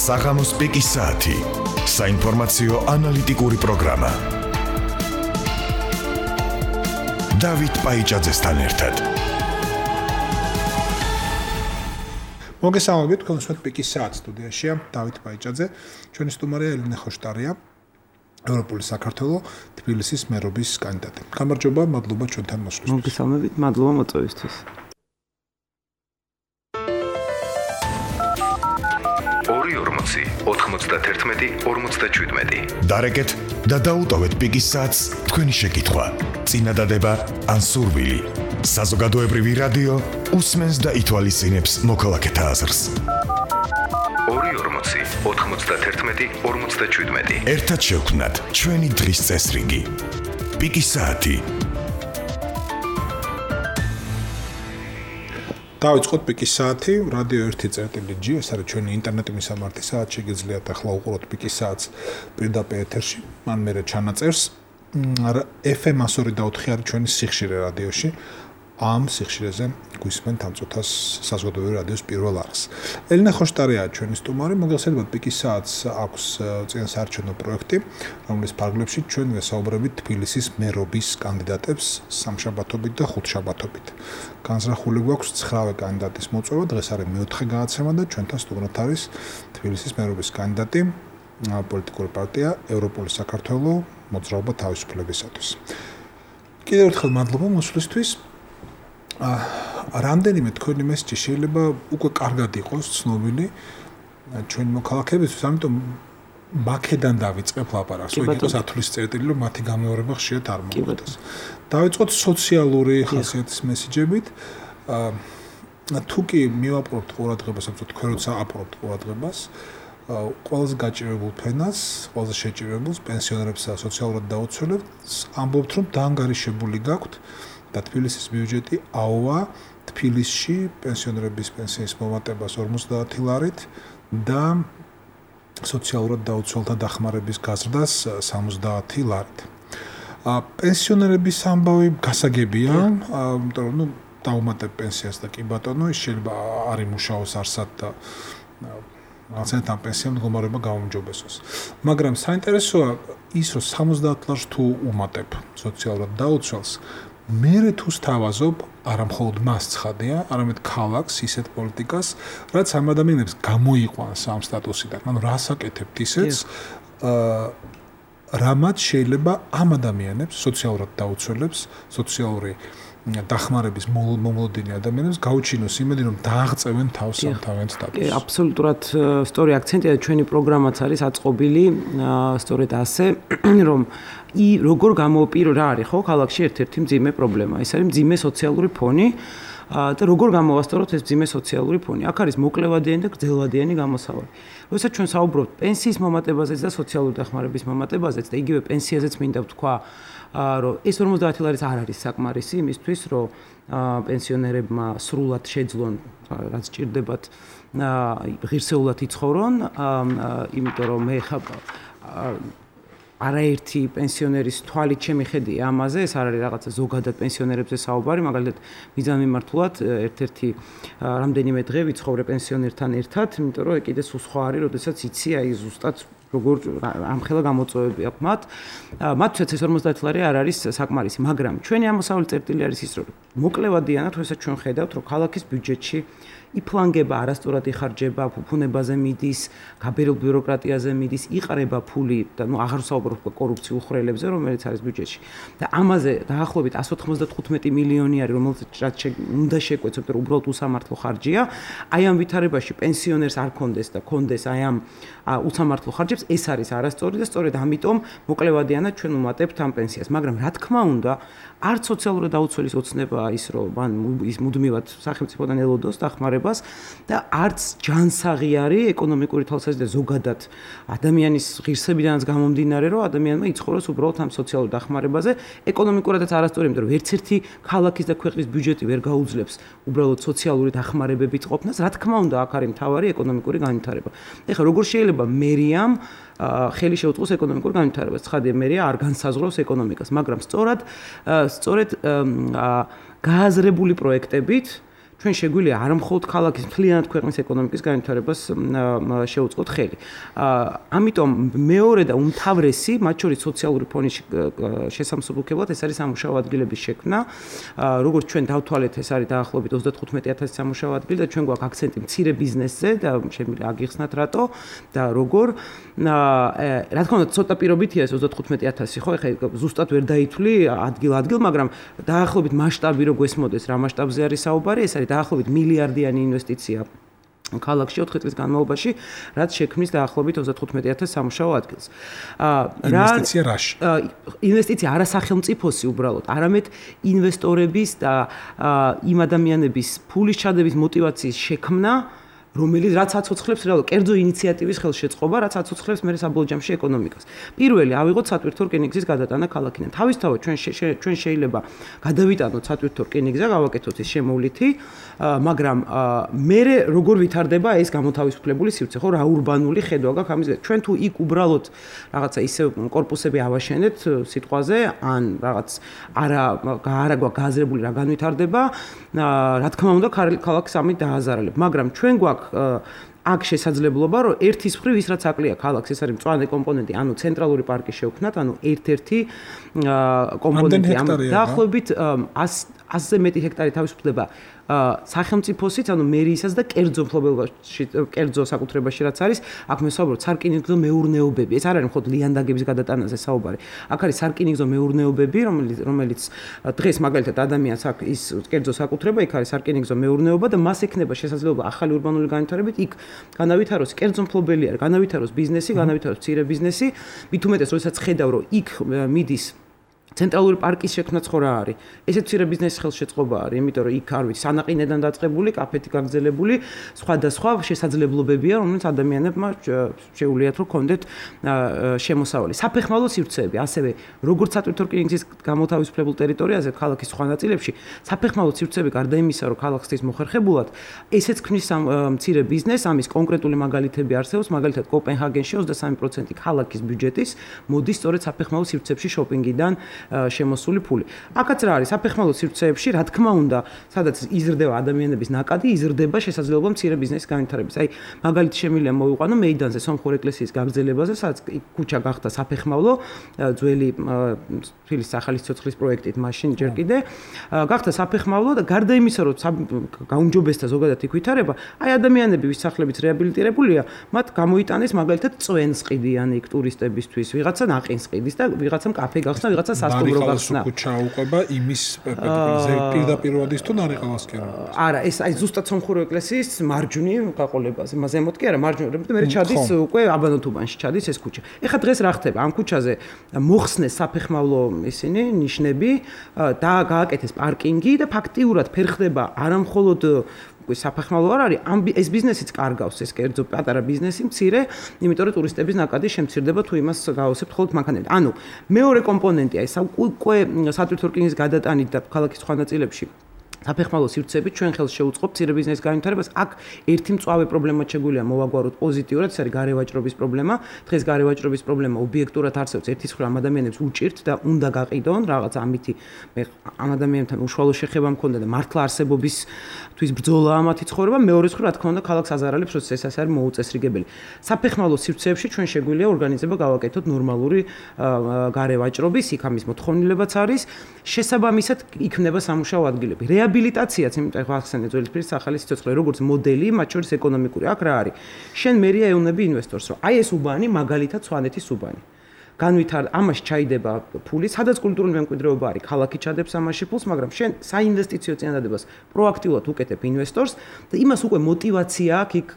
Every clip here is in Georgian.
საღამოს პიკის საათი. საინფორმაციო ანალიტიკური პროგრამა. დავით პაიჭაძესთან ერთად. მოგესალმებით, თქვენ უსმენთ პიკის საათს სტუდიაშია დავით პაიჭაძე, ჩვენი სტუმარია ელენე ხოშტარია, ევროპული საქართველოს თბილისის მერობის კანდიდატი. გამარჯობა, მადლობა ჩვენთან მოსვლისთვის. მოგესალმებით, მადლობა მოწვევისთვის. 2-40-91-47. დარეკეთ და დაუტოვეთ პიკის საათს თქვენი შეკითხვა. წინადადება ან სურვილი. საზოგადოებრივი რადიო უსმენს და ითვალისწინებს მოქალაქეთა აზრს. 2-40-91-47. ერთად შევქმნათ ჩვენი დღის წესრიგი. პიკის საათი. დავიწყოთ პიკის საათი, რადიო 1.G, ეს არის ჩვენი ინტერნეტი მისამართი საათი, შეგიძლიათ ახლა უყუროთ პიკის საათს პირდაპირ ეთერში, მან მერე ჩანაწერს. FM 102.4 არის ჩვენი სიხშირე რადიოში. ამ სიხშირეზე გვისმენთ ამ წუთას საზოგადოებრივი რადიოს პირველ არხს. ელენე ხოშტარია ჩვენი სტუმარი, მოგესალმებით, პიკის საათს აქვს წინასაარჩევნო პროექტი, რომლის ფარგლებში ჩვენ ვესაუბრებით თბილისის მერობის კანდიდატებს სამშაბათობით და ხუთშაბათობით. განზრახული გვაქვს 9 კანდიდატის მოწვევა, დღეს არის მეოთხე განაცემა და ჩვენთან სტუმრად არის თბილისის მერობის კანდიდატი, პოლიტიკური პარტია ევროპული საქართველოს მოძრაობა თავისუფლებისათვის. კიდევ ერთხელ მადლობა მოსვლისთვის. რამდენიმე თქვენი მესიჯი შეიძლება უკვე კარგად იყოს ცნობილი ჩვენი მოქალაქეებისთვის, ამიტომ მაქედან დავიწყებ ლაპარაკს, რომ იყოს ათვლის წერტილი, რომ მათი გამეორება ხშირად არ მოხდეს. დავიწყოთ სოციალური ხასიათის მესიჯებით. თუ კი მივაპყრობთ ყურადღებას, ამიტომ თქვენ როცა აპყრობთ ყურადღებას, ყველაზე გაჭირებულ ფენას, ყველაზე შეჭირებულს პენსიონერებს და სოციალურად დაუცველებს, ამბობთ, რომ დაანგარიშებული გაქვთ და თბილისის ბიუჯეტი აუვა თბილისში პენსიონერების პენსიის მომატებას 50 ლარით და სოციალურად დაუცველთა დახმარების გაზრდას 70 ლარით. პენსიონერების ამბავი გასაგებია, იმიტომ რომ დაუმატებ პენსიას და კი ბატონო, ის შეიძლება არ იმუშაოს არსად და რაღაცნაირად ამ პენსიამ მდგომარეობა გაუმჯობესოს. მაგრამ საინტერესოა ის, რომ 70 ლარს თუ უმატებ სოციალურად დაუცველს, მერე თუ სთავაზობ, არა მხოლოდ მას ცხადია, არამედ ქალაქს ისეთ პოლიტიკას, რაც ამ ადამიანებს გამოიყვანს ამ სტატუსიდან. ანუ რას აკეთებთ ისეც, რამაც შეიძლება ამ ადამიანებს, სოციალურად დაუცველებს, სოციალური დახმარების მომლოდინი ადამიანებს გაუჩინოს იმედი, რომ დააღწევენ თავს ამ თავიანთ სტატუსს. აბსოლუტურად სწორი აქცენტია, ჩვენი პროგრამაც არის აწყობილი სწორედ ასე, რომ როგორ გამოვპირო რა არის ხო ქალაქში ერთ-ერთი მძიმე პრობლემა. ეს არის მძიმე სოციალური ფონი და როგორ გამოვასწოროთ ეს მძიმე სოციალური ფონი. აქ არის მოკლევადიანი და გრძელვადიანი გამოსავალი. როდესაც ჩვენ საუბრობთ პენსიის მომატებაზეც და სოციალური დახმარების მომატებაზეც და იგივე პენსიაზეც მინდა ვთქვა, რომ ეს 50 ლარიც არ არის საკმარისი იმისთვის, რომ პენსიონერებმა სრულად შეძლონ რაც ჭირდებათ ღირსეულად იცხოვრონ, იმიტომ რომ მე არაერთი პენსიონერის თვალით შემიხედია ამაზე, ეს არ არის რაღაცა ზოგადად პენსიონერებზე საუბარი, მაგალითად მიზანმიმართულად ერთ-ერთი რამდენიმე დღე ვიცხოვრე პენსიონერთან ერთად, იმიტომ რომ კიდე სულ სხვა არის, როდესაც იცი აი ზუსტად როგორ ამხელა გამოწვევები აქვს მათ. მათთვის ეს 50 ლარი არ არის საკმარისი, მაგრამ ჩვენი ამოსავალი წერტილი არის ის, რომ მოკლევადიანად, როდესაც ჩვენ ხედავთ, რომ ქალაქის ბიუჯეტში იფლანგება, არასწორად იხარჯება, ფუფუნებაზე მიდის, გაბერილ ბიუროკრატიაზე მიდის, იყრება ფული და აღარ ვსაუბრობ კორუფციულ ხრელებზე, რომელიც არის ბიუჯეტში. და ამაზე დაახლოებით 195 მილიონი არის, რომელიც უნდა შეკვეცოთ, რომ უბრალოდ უსამართლო ხარჯია. აი ამ ვითარებაში პენსიონერს არ კონდეს და კონდეს აი ამ უსამართლო ხარჯებს, ეს არის არასწორი და სწორედ ამიტომ მოკლევადიანად ჩვენ ვუმატებთ ამ პენსიას. მაგრამ რა თქმა უნდა, არც სოციალურად დაუცველის ოცნებაა ის, რომ მან ის მუდმივად სახელმწიფოდან ელოდოს დახმარებას და არც ჯანსაღი არის ეკონომიკური თვალსაზრისით და ზოგადად ადამიანის ღირსებიდანაც გამომდინარე, რომ ადამიანმა იცხოვროს უბრალოდ ამ სოციალურ დახმარებაზე. ეკონომიკურადაც არასწორი, იმიტომ რომ ერთ ერთი ქალაქის და ქვეყნის ბიუჯეტი ვერ გაუძლებს უბრალოდ სოციალური დახმარებებით ყოფნას. რა თქმა უნდა, აქ არის მთავარი ეკონომიკური განვითარება. ეხლა როგორ შეიძლება მერიამ ხელი შეუწყოს ეკონომიკურ განვითარებას. ცხადია, მერია არ განსაზღვრავს ეკონომიკას, მაგრამ სწორედ გააზრებული პროექტებით ჩვენ შეგვიძლია არა მხოლოდ ქალაქის მთლიანად ქვეყნის ეკონომიკის განვითარებას შეუწყოთ ხელი. ამიტომ მეორე და უმთავრესი, მათ შორის სოციალური ფონის შესამსუბუქებლად ეს არის სამუშაო ადგილების შექმნა. როგორც ჩვენ დავთვალეთ, ეს არის დაახლოებით 35,000 სამუშაო ადგილი და ჩვენ გვაქვს აქცენტი მცირე ბიზნესზე და შემიძლია აგიხსნათ რატო და როგორ. რა თქმა უნდა, ცოტა პირობითია ეს 35,000, ხო, ეხლა ზუსტად ვერ დაითვლი ადგილ-ადგილ, მაგრამ დაახლოებით მასშტაბი რო გვესმოდეს, რა მასშტაბზე არის საუბარი, ეს არის დაახლოებით მილიარდიანი ინვესტიცია ქალაქში 4 წლის განმავლობაში, რაც შექმნის დაახლოებით 35,000 სამუშაო ადგილს. ინვესტიცია რაში? ინვესტიცია არასახელმწიფოსი უბრალოდ, არამედ ინვესტორების და იმ ადამიანების ფულის ჩადების мотиваციის შექმნა, რომელიც რაც აცოცხლებს რეალურად კერძო ინიციატივის ხელშეწყობა, რაც აცოცხლებს მე საბოლოო ჯამში ეკონომიკას. პირველი ავიღოთ სატვირთო რკინიგზის გადატანა ქალაქიდან. თავისთავად ჩვენ შეიძლება გადავიტანოთ სატვირთო რკინიგზა, გავაკეთოთ ის შემოვლითი, მაგრამ მე როგორ ვითარდება ეს გამოთავისუფლებული სივრცე, ხო, რა ურბანული ხედვა გაქვს ამის. ჩვენ თუ იქ უბრალოდ რაღაცა ისე კორპუსები ავაშენეთ სიტყვაზე, ან რაღაც არა გააზრებული რა განვითარდება, რა თქმა უნდა ქალაქს ამით დააზარალებ, მაგრამ ჩვენ გვაქვს აქ შესაძლებლობა, რომ ერთის მხრივ ის რაც აკლია ქალაქს, ეს არის მწვანე კომპონენტი, ანუ ცენტრალური პარკი შევქმნათ, ანუ ერთ-ერთი კომპონენტი ამ დაახლოებით 100-ზე მეტი ჰექტარი თავისუფლდება სახელმწიფოსიც, ანუ მერიისას და კერძო მფლობელობაში, კერძო საკუთრებაში რაც არის, აქ მე საუბრობ სარკინიგზო მეურნეობები. ეს არ არის მხოლოდ ლიანდაგების გადატანაზე საუბარი. აქ არის სარკინიგზო მეურნეობები, რომელიც დღეს მაგალითად ადამიანს აქ ის კერძო საკუთრება, იქ არის სარკინიგზო მეურნეობა და მას ექნება შესაძლებლობა ახალი ურბანული განვითარებით იქ განავითაროს კერძო მფლობელი არ, განავითაროს ბიზნესი, განავითაროს მცირე ბიზნესი, მით უმეტეს, როდესაც ხედავ, რომ იქ მიდის ცენტრალური პარკის შექმნაც ხო რა არის? ესეც მცირე ბიზნესის ხელშეწყობა არის, იმიტომ რომ იქ არ ვიცი, სანაყინედან დაწყებული, კაფეთი გაგრძელებული, სხვადასხვა შესაძლებლობებია, რომელიც ადამიანებმა შეუძლიათ რომ კონდეთ შემოსავალი. საფეხმავლო სივრცეები, ასევე როგორც სატვირთო რკინიგზის გამოთავისუფლებულ ტერიტორიაზე, ქალაქის სხვა ნაწილებში, საფეხმავლო სივრცეები გარდა იმისა, რომ ქალაქისთვის მოხერხებულად, ესეც ქმნის მცირე ბიზნესს, ამის კონკრეტული მაგალითები არსებობს, მაგალითად კოპენჰაგენში 23% ქალაქის ბიუჯეტის მოდის სწორედ საფეხმავლო სივრცეებში შოპინგიდან შემოსული ფული. აქაც რა არის საფეხმავლო სივრცეებში, რა თქმა უნდა, სადაც იზრდება ადამიანების ნაკადი, იზრდება შესაძლებლობა მცირე ბიზნესის განვითარების. აი, მაგალითი შემიძლია მოვიყვანო მეიდანზე სომხურ ეკლესიის გაგრძელებაზე, სადაც ქუჩა გახდა საფეხმავლო, ძველი თბილისის ახალი სიცოცხლის პროექტით, მაშინ ჯერ კიდე გახდა საფეხმავლო და გარდა იმისა, რომ გაუმჯობესდა ზოგადად იქ ვითარება, აი ადამიანები, ვის სახლებიც რეაბილიტირებულია, მათ გამოიტანეს მაგალითად წვენს ყიდიან იქ ტურისტებისთვის, ვიღაცა ნაყინს ყიდის და ვიღაცამ კაფე გახსნა, ვიღაცა სასტუმრო გახსნა. ქუჩა უყვება იმის პირდაპირ თუ ნარიყავასკერა. არა, ეს აი ზუსტად სომხური ეკლესიის მარჯვნივ გაყოლებაზე, ზემოთ კი არა, მარჯვნივ, მე ჩადის უკვე აბანოთუბანში ჩადის ეს ქუჩა. ეხლა დღეს რა ხდება? ამ ქუჩაზე მოხსნეს საფეხმავლო ისინი ნიშნები და გააკეთეს პარკინგი და ფაქტიურად ფერხდება არა მხოლოდ საფეხმავლო არ არის, ეს ბიზნესიც კარგავს, ეს კერძო პატარა ბიზნესი მცირე, იმიტომ რომ ტურისტების ნაკადი შემცირდება თუ იმას გავავსებთ მხოლოდ მანქანებით. ანუ მეორე კომპონენტია ეს უკვე სატვირთო რკინიგზის გადატანით და ქალაქის სხვა ნაწილებში საფეხმავლო სივრცეებით ჩვენ ხელს შევუწყობთ მცირე ბიზნესის განვითარებას. აქ ერთი მწვავე პრობლემა შეგვიძლია მოვაგვაროთ პოზიტიურად, ეს არის გარევაჭრობის პრობლემა. დღეს გარევაჭრობის პრობლემა ობიექტურად არსებობს, ერთის მხრივ ამ ადამიანებს უჭირთ და უნდა გაყიდონ რაღაც ამითი მე ამ ადამიანებთან უშუალო შეხება მქონდა და მართლა არსებობისთვის ბრძოლა ამათი ცხოვრება. მეორეს მხრივ რა თქმა უნდა ქალაქს აზარალებს, რომ ეს არის მოუწესრიგებელი. საფეხმავლო სივრცეებში ჩვენ შეგვიძლია ორგანიზება გავაკეთოთ ნორმალური გარევაჭრობის, იქ ამის მოთხოვნილებაც არის. შესაბამისად იქნება სამუშაო ადგილები. რეაბილიტაციაც, იმიტომ რომ ახსენე ძველისპირის ახალი სიცოცხლე, როგორც მოდელი, მათ შორის ეკონომიკური. აქ რა არის? შენ მერია ეუნები ინვესტორს, რომ აი ეს უბანი მაგალითად სვანეთის უბანი. ამაში ჩაიდება ფული, სადაც კულტურული მემკვიდრეობა არის, ქალაქი ჩადებს ამაში ფულს, მაგრამ შენ საინვესტიციო წინადადებას პროაქტიულად უკეთებ ინვესტორს და იმას უკვე мотиваცია აქვს იქ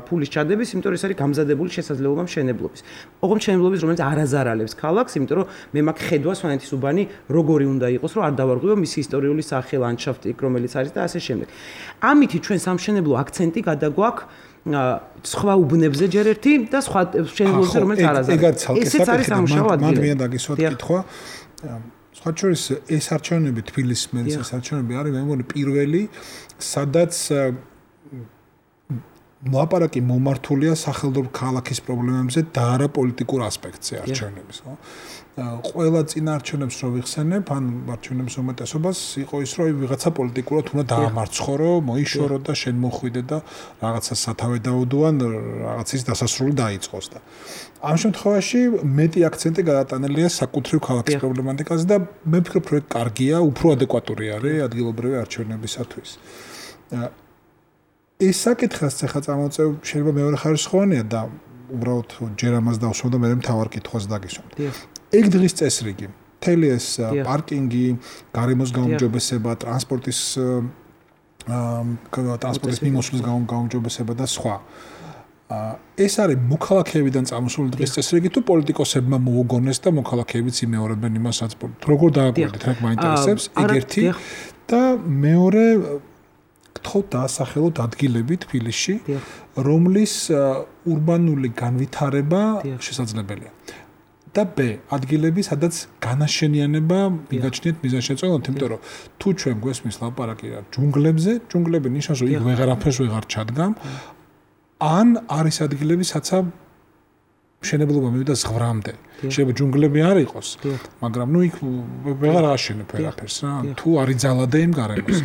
ფულის ჩადების, იმიტომ რომ ეს არის გამზადებული შესაძლებლობა მშენებლობის. ოღონდ მშენებლობის, რომელიც არ აზარალებს ქალაქს, იმიტომ რომ მე მაქვს ხედვა სვანეთის უბანი როგორი უნდა იყოს, რომ არ დავარღვიო მისი ისტორიული სახე, ლანდშაფტი, რომელიც არის და ასე შემდეგ. ამითი ჩვენ სამშენებლო აქცენტი გადაგვაქვს სხვა უბნებზე ჯერ ერთი და სხვა მშენებლობებზე, რომელიც არ აზარალებს. ესეც არის სამუშაო ადგილი. მე დაგისვათ კითხვა. სხვა შორის ეს არჩევნები თბილისის მერის არჩევნები არის მე მგონი პირველი, სადაც ლაპარაკი მომართულია სახელმწიფო ქალაქის პრობლემებზე და არა პოლიტიკურ ასპექტზე არჩევნების, ხო? ყველა წინაარჩევნებს რო ვიხსენებ, ან არჩევნების უმეტესობას იყო ის, რომ ვიღაცა პოლიტიკურად უნდა დაამარცხო, რომ მოიშორო და შენ მოხვიდე და რაღაცა სათავე დაუდო ან რაღაცის დასასრული დაიწყოს და ამ შემთხვევაში მეტი აქცენტი გადატანილია საკუთრივ ქალაქის პრობლემატიკაზე და მე ვფიქრობ, რომ კარგია, უფრო ადეკვატური არის ადგილობრივი არჩევნებისათვის. ეს საკითხს ახლა წამოწევ შეიძლება მეორე ხარისხოვანია და უბრალოდ ჯერ ამას დავსვამ და მე მთავარ კითხვას დაგისვამ. ეგ დღის წესრიგი, მთელი ეს პარკინგი, გარემოს გაუმჯობესება, ტრანსპორტის მიმოსვლის გაუმჯობესება და სხვა. ეს არის მოქალაქეებიდან წამოსული დღის წესრიგი თუ პოლიტიკოსებმა მოუგონეს და მოქალაქეებიც იმეორებენ იმას, რაც როგორ დააკვირდით, რა მაინტერესებს, ეგ ერთი და მეორე გთხოვთ დაასახელოთ ადგილები თბილისში, რომლის ურბანული განვითარება შესაძლებელია. და B ადგილები, სადაც განაშენიანება მიგაჩნიათ მიზანშეწონილად, იმიტომ რომ თუ ჩვენ გვესმის ლაპარაკი ჯუნგლებზე, ჯუნგლები ნიშნავს, რომ იქ ვეღარაფერს ვეღარ ჩადგამ, ან არის ადგილები, სადაც მშენებლობა მივიდა ზღვრამდე. შეიძლება ჯუნგლები არ იყოს, მაგრამ ნუ იქ ვეღარ აშენებ ვერაფერს რა, თუ არის ძალადე იმ გარემოს.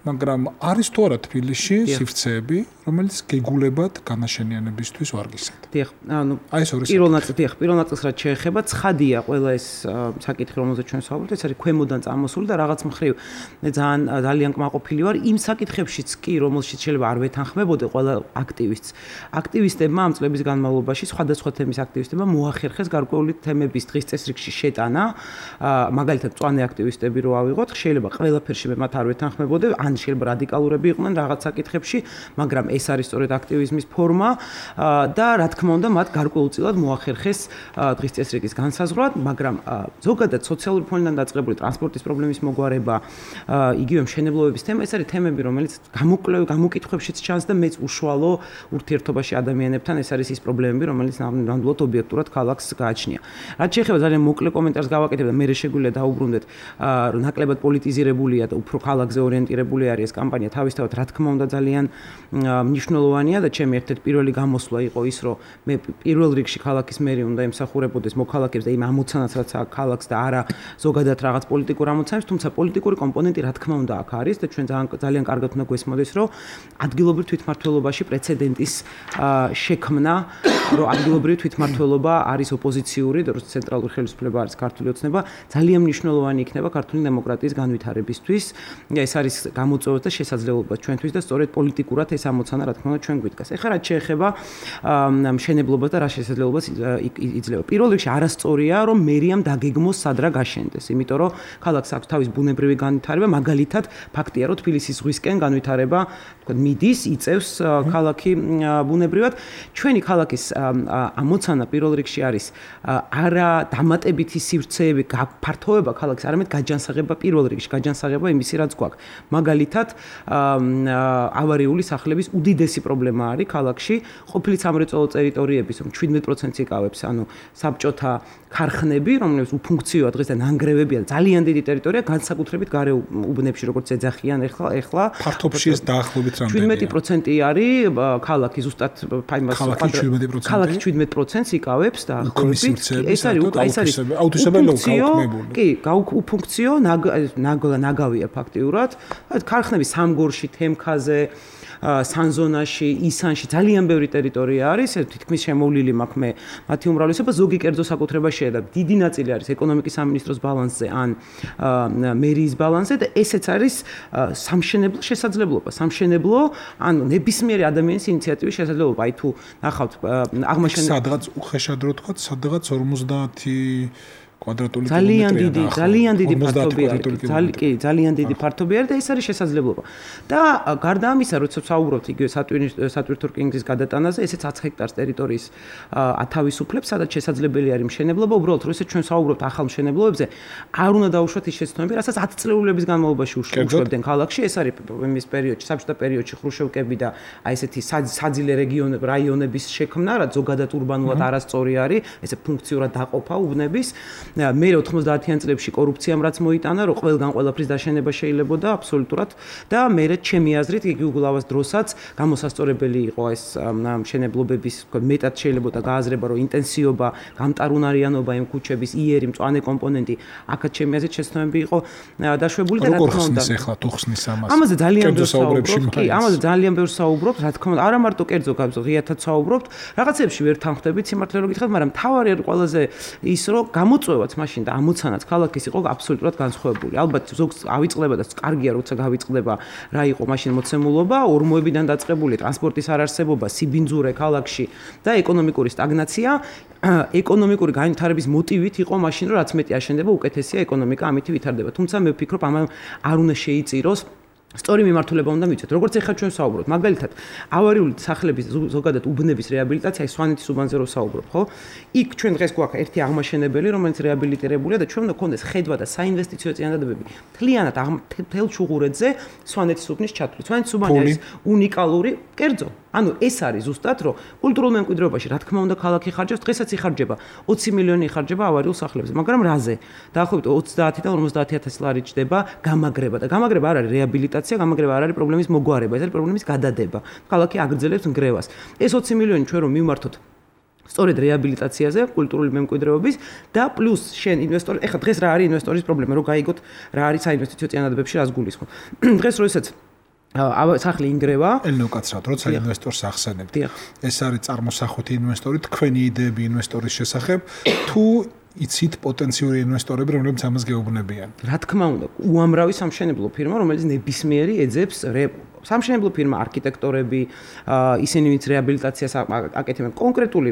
მაგრამ არის თუ არა თბილისში სივრცეები, რომელიც გეგულებად განაშენიანებისთვის ვარგისად. დიახ, ანუ აი ეს ორი პირველ ნაწილს რაც შეეხება, ცხადია ყველა ეს საკითხი, რომელზეც ჩვენ ვსაუბრობთ, ეს არის ქვემოდან წამოსული და რაღაც მხრივ ძალიან კმაყოფილი ვარ იმ საკითხებშიც კი, რომელშიც შეიძლება არ ვეთანხმებოდე ყველა აქტივისტს. აქტივისტებმა ამ წლების განმავლობაში სხვადასხვა თემის აქტივისტებმა მოახერხეს გარკვეული თემების დღის წესრიგში შეტანა, მაგალითად მწვანე აქტივისტები რო ავიღოთ, შეიძლება ყველაფერში მე მათ არ ვეთანხმებოდე, ან შეიძლება რადიკალურები იყვნენ რაღაც საკითხებში, მაგრამ ეს არის სწორედ აქტივიზმის ფორმა და რა თქმა უნდა მათ გარკვეულწილად მოახერხეს დღის წესრიგის განსაზღვრად, მაგრამ ზოგადად სოციალური ფონიდან დაწყებული ტრანსპორტის პრობლემის მოგვარება, იგივე მშენებლობების თემა, ეს არის თემები, რომელიც გამოკითხვებშიც ჩანს და მეც უშუალო ურთიერთობაში ადამიანებთან ეს არის ის პრობლემები, რომელიც ნამდვილად ობიექტურად ქალაქს გააჩნია. რაც შეეხება ძალიან მოკლე კომენტარს გავაკეთებ და მე შეგვიძლია დაუბრუნდეთ, რომ ნაკლებად პოლიტიზირებულია და უფრო ქალაქზე ორიენტირებული არის ეს კამპანია, თავისთავად რა თქმა უნდა ძალიან მნიშვნელოვანია და ჩემი ერთ-ერთი პირველი გამოსვლა იყო ის, რომ მე პირველ რიგში ქალაქის მერი უნდა ემსახურებოდეს მოქალაქეებს და იმ ამოცანას, რაც აქვს ქალაქს და არა ზოგადად რაღაც პოლიტიკურ ამოცანებს, თუმცა პოლიტიკური კომპონენტი რა თქმა უნდა აქ არის და ჩვენ ძალიან კარგად უნდა გვესმოდეს, რომ ადგილობრივ თვითმმართველობაში პრეცედენტის შექმნა, რომ ადგილობრივი თვითმმართველობა არის ოპოზიციური და რომ ცენტრალური ხელისუფლება არის ქართული ოცნება, ძალიან მნიშვნელოვანი იქნება ქართული დემოკრატიის განვითარებისთვის. ეს არის გამოწვევა და შესაძლებლობა ჩვენთვის და სწორედ პოლიტიკურად ეს ამოცანა რა თქმა უნდა ჩვენ გვიდგას. ეხლა რაც შეეხება მშენებლობას და რა შესაძლებლობას იძლევა. პირველ რიგში არასწორია, რომ მერიამ დაგეგმოს სად რა გაშენდეს, იმიტომ რომ ქალაქს აქვს თავის ბუნებრივი განვითარება, მაგალითად ფაქტია, რომ თბილისის ზღვისკენ განვითარება, თქვა მიდის, იწევს ქალაქი ბუნებრივად. ჩვენი ქალაქის ამოცანა პირველ რიგში არის არა დამატებითი სივრცეები, გაფართოება ქალაქის, არამედ გაჯანსაღება პირველ რიგში, გაჯანსაღება იმისი რაც გვაქვს. მაგალითად, ავარიული სახლების უდიდესი პრობლემა არის ქალაქში, ყოფილი სამრეწველო ტერიტორიების 17% იკავებს, ანუ საბჭოთა ქარხნები, რომლებიც უფუნქციოა დღეს და ნანგრევებია, ძალიან დიდი ტერიტორია, განსაკუთრებით გარე უბნებში, როგორც ეძახიან ახლა. ფართობში ეს დაახლოებით რამდენია? 17% არის ქალაქი ზუსტად ქალაქი 17% იკავებს დაახლოებით. ეს არის აუთისებელია. კი, უფუნქციო ნაგავია ფაქტიურად. ქარხნები სამგორში, თემქაზე, სანზონაში, ისანში ძალიან ბევრი ტერიტორია არის, თითქმის შემოვლილი მაქვს მე მათი უმრავლესობა, ზოგი კერძო საკუთრებაშია და დიდი ნაწილი არის ეკონომიკის სამინისტროს ბალანსზე ან მერიის ბალანსზე და ესეც არის სამშენებლო შესაძლებლობა. სამშენებლო, ანუ ნებისმიერი ადამიანის ინიციატივის შესაძლებლობა. აი თუ ნახავთ აღმაშენებელი სადღაც უხეშად რო თქვა, სადღაც 50 კვადრატული ძალიან დიდი ფართობი არის. კი, ძალიან დიდი ფართობი არის და ეს არის შესაძლებლობა. და გარდა ამისა, როცა ვსაუბრობთ იგივე სატვირთო რკინიგზის გადატანაზე, ესეც 10 ჰექტარს ტერიტორიის ათავისუფლებს, სადაც შესაძლებელი არის მშენებლობა. უბრალოდ, როცა ჩვენ ვსაუბრობთ ახალ მშენებლობებზე, არ უნდა დაუშვათ ის შეცდომები, რასაც 10 წლეულების განმავლობაში უშვებდნენ ქალაქში. ეს არის იმის პერიოდში, საბჭოთა პერიოდში ხრუშევკები და აი ესეთი საძილე რაიონების შექმნა, რაც ზოგადად ურბანულად არასწორი არის, ესე ფუნქციურად დაყოფა უბნების. მე 90-იან წლებში კორუფციამ რაც მოიტანა, რომ ყველგან ყველაფრის დაშენება შეიძლებოდა აბსოლუტურად და მე ჩემი აზრით გიგულავას დროსაც გამოსასწორებელი იყო ეს მშენებლობების მეტად შეიძლება გააზრება, რომ ინტენსივობა, გამტარუნარიანობა იმ ქუჩების იერი მწვანე კომპონენტი აქაც ჩემი აზრით შეცდომები იყო დაშვებული და რა თქმა უნდა ახლა თუ ხსნის ამას ამაზე ძალიან ბევრს საუბრობთ კი ამაზე ძალიან ბევრს საუბრობთ რა თქმა უნდა არა მარტო კერძო ღიათად საუბრობთ რაღაცებში ვერ თანხმდებით სიმართლე რომ გითხრათ მაგრამ თავარი არის ყველაზე ის რომ გამოწვევაც მაშინ და ამოცანაც ქალაქის იყო აბსოლუტურად განსხვავებული ალბათ ზოგს ავიწყდება და კარგია როცა გავიწყდება რა იყო მაშინ მოცემულობა ორმოებიდან დაწყებული ტრანსპორტის არარსებობა სიბინძურე ქალაქში და ეკონომიკური სტაგნაცია ეკონომიკური განვითარების მოტივით იყო მაშინ რომ რაც მეტი აშენდება უკეთესია ეკონომიკა ამით ვითარდება თუმცა მე ვფიქრობ ამან არ უნდა შეიწიროს სწორი მიმართულება უნდა მიცეთ. როგორც ეხლა ჩვენ საუბრობთ, მაგალითად, ავარიული სახლების ზოგადად უბნების რეაბილიტაცია, სვანეთის უბანზე რო საუბრობ, ხო? იქ ჩვენ დღეს გვაქვს ერთი აღმაშენებელი, რომელიც რეაბილიტირებულია და ჩვენ უნდა გქონდეს ხედვა და საინვესტიციო წინადადებები მთლიანად მთელ ჩუღურეთზე სვანეთის უბნის ჩათვლით. სვანეთის უბანი არის უნიკალური, კერძო. ანუ ეს არის ზუსტად, რომ კულტურულ მემკვიდრეობაში, რა თქმა უნდა, ქალაქი ხარჯავს, დღესაც იხარჯება 20 მილიონი იხარჯება ავარიულ სახლებზე, მაგრამ რაზე? დაახლოებით 30-დან 50,000 ლარი ჯდება გამაგრება და გამაგრება არ არის რეაბილიტაცია, გამაგრება არ არის პრობლემის მოგვარება, ეს არის პრობლემის გადადება. ქალაქი აგრძელებს ნგრევას. ეს 20 მილიონი ჩვენ რომ მივმართოთ სწორედ რეაბილიტაციაზე, კულტურული მემკვიდრეობის და პლუს შენ ინვესტორი, ეხლა დღეს რა არის ინვესტორის პრობლემა, რომ გაიგოთ რა არის საინვესტიციო წინადადებებში რას გულისხმობ. დღეს როდესაც სახლი ინგრევა. ელნოკაცრად, როცა ინვესტორს ახსენებთ. ეს არის წარმოსახვითი ინვესტორი, თქვენი იდეები ინვესტორის შესახებ, თუ იცით პოტენციური ინვესტორები, რომლებიც ამას გეუბნებიან. რა თქმა უნდა, უამრავი სამშენებლო ფირმა, რომელიც ნებისმიერი ეძებს სამშენებლო ფირმა, არქიტექტორები, ისინი ვინც რეაბილიტაციას აკეთებენ, კონკრეტული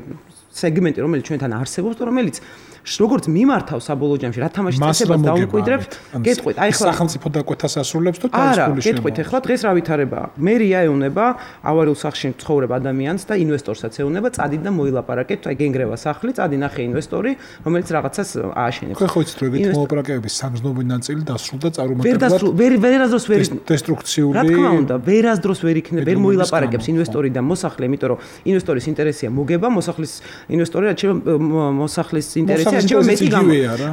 სეგმენტი, რომელიც ჩვენთან არსებობს და რომელიც როგორც მიმართავ საბოლოო ჯამში, რა თამაში წესებას დაუმკვიდრებთ, გეტყვით, აი ხლა სახელმწიფო დაკვეთას ასრულებს თუ თავის ფულის შემოვა. გეტყვით, ახლა დღეს რა ვითარებაა? მერია ეუნება ავარიულ სახლში ცხოვრებ ადამიანს და ინვესტორსაც ეუნება, წადით და მოილაპარაკეთ, აი გენგრევა სახლი, წადი ნახე ინვესტორი, რომელიც რაღაცას ააშენებს. ხო იცით, რომ ეგეთ მოლაპარაკებების სამგზნობრი ნაწილი დასრულდა წარუმატებლად. ვერასდროს ვერ დესტრუქციული. რა თქმა უნდა, ვერასდროს ვერ იქნება, ვერ მოილაპარაკებს ინვესტორი და მოსახლე, იმიტომ რომ ინვესტორის ინტერესია მოგება, მოსახლის ინვესტორი რაც მოსახლის ინტერესია მეტი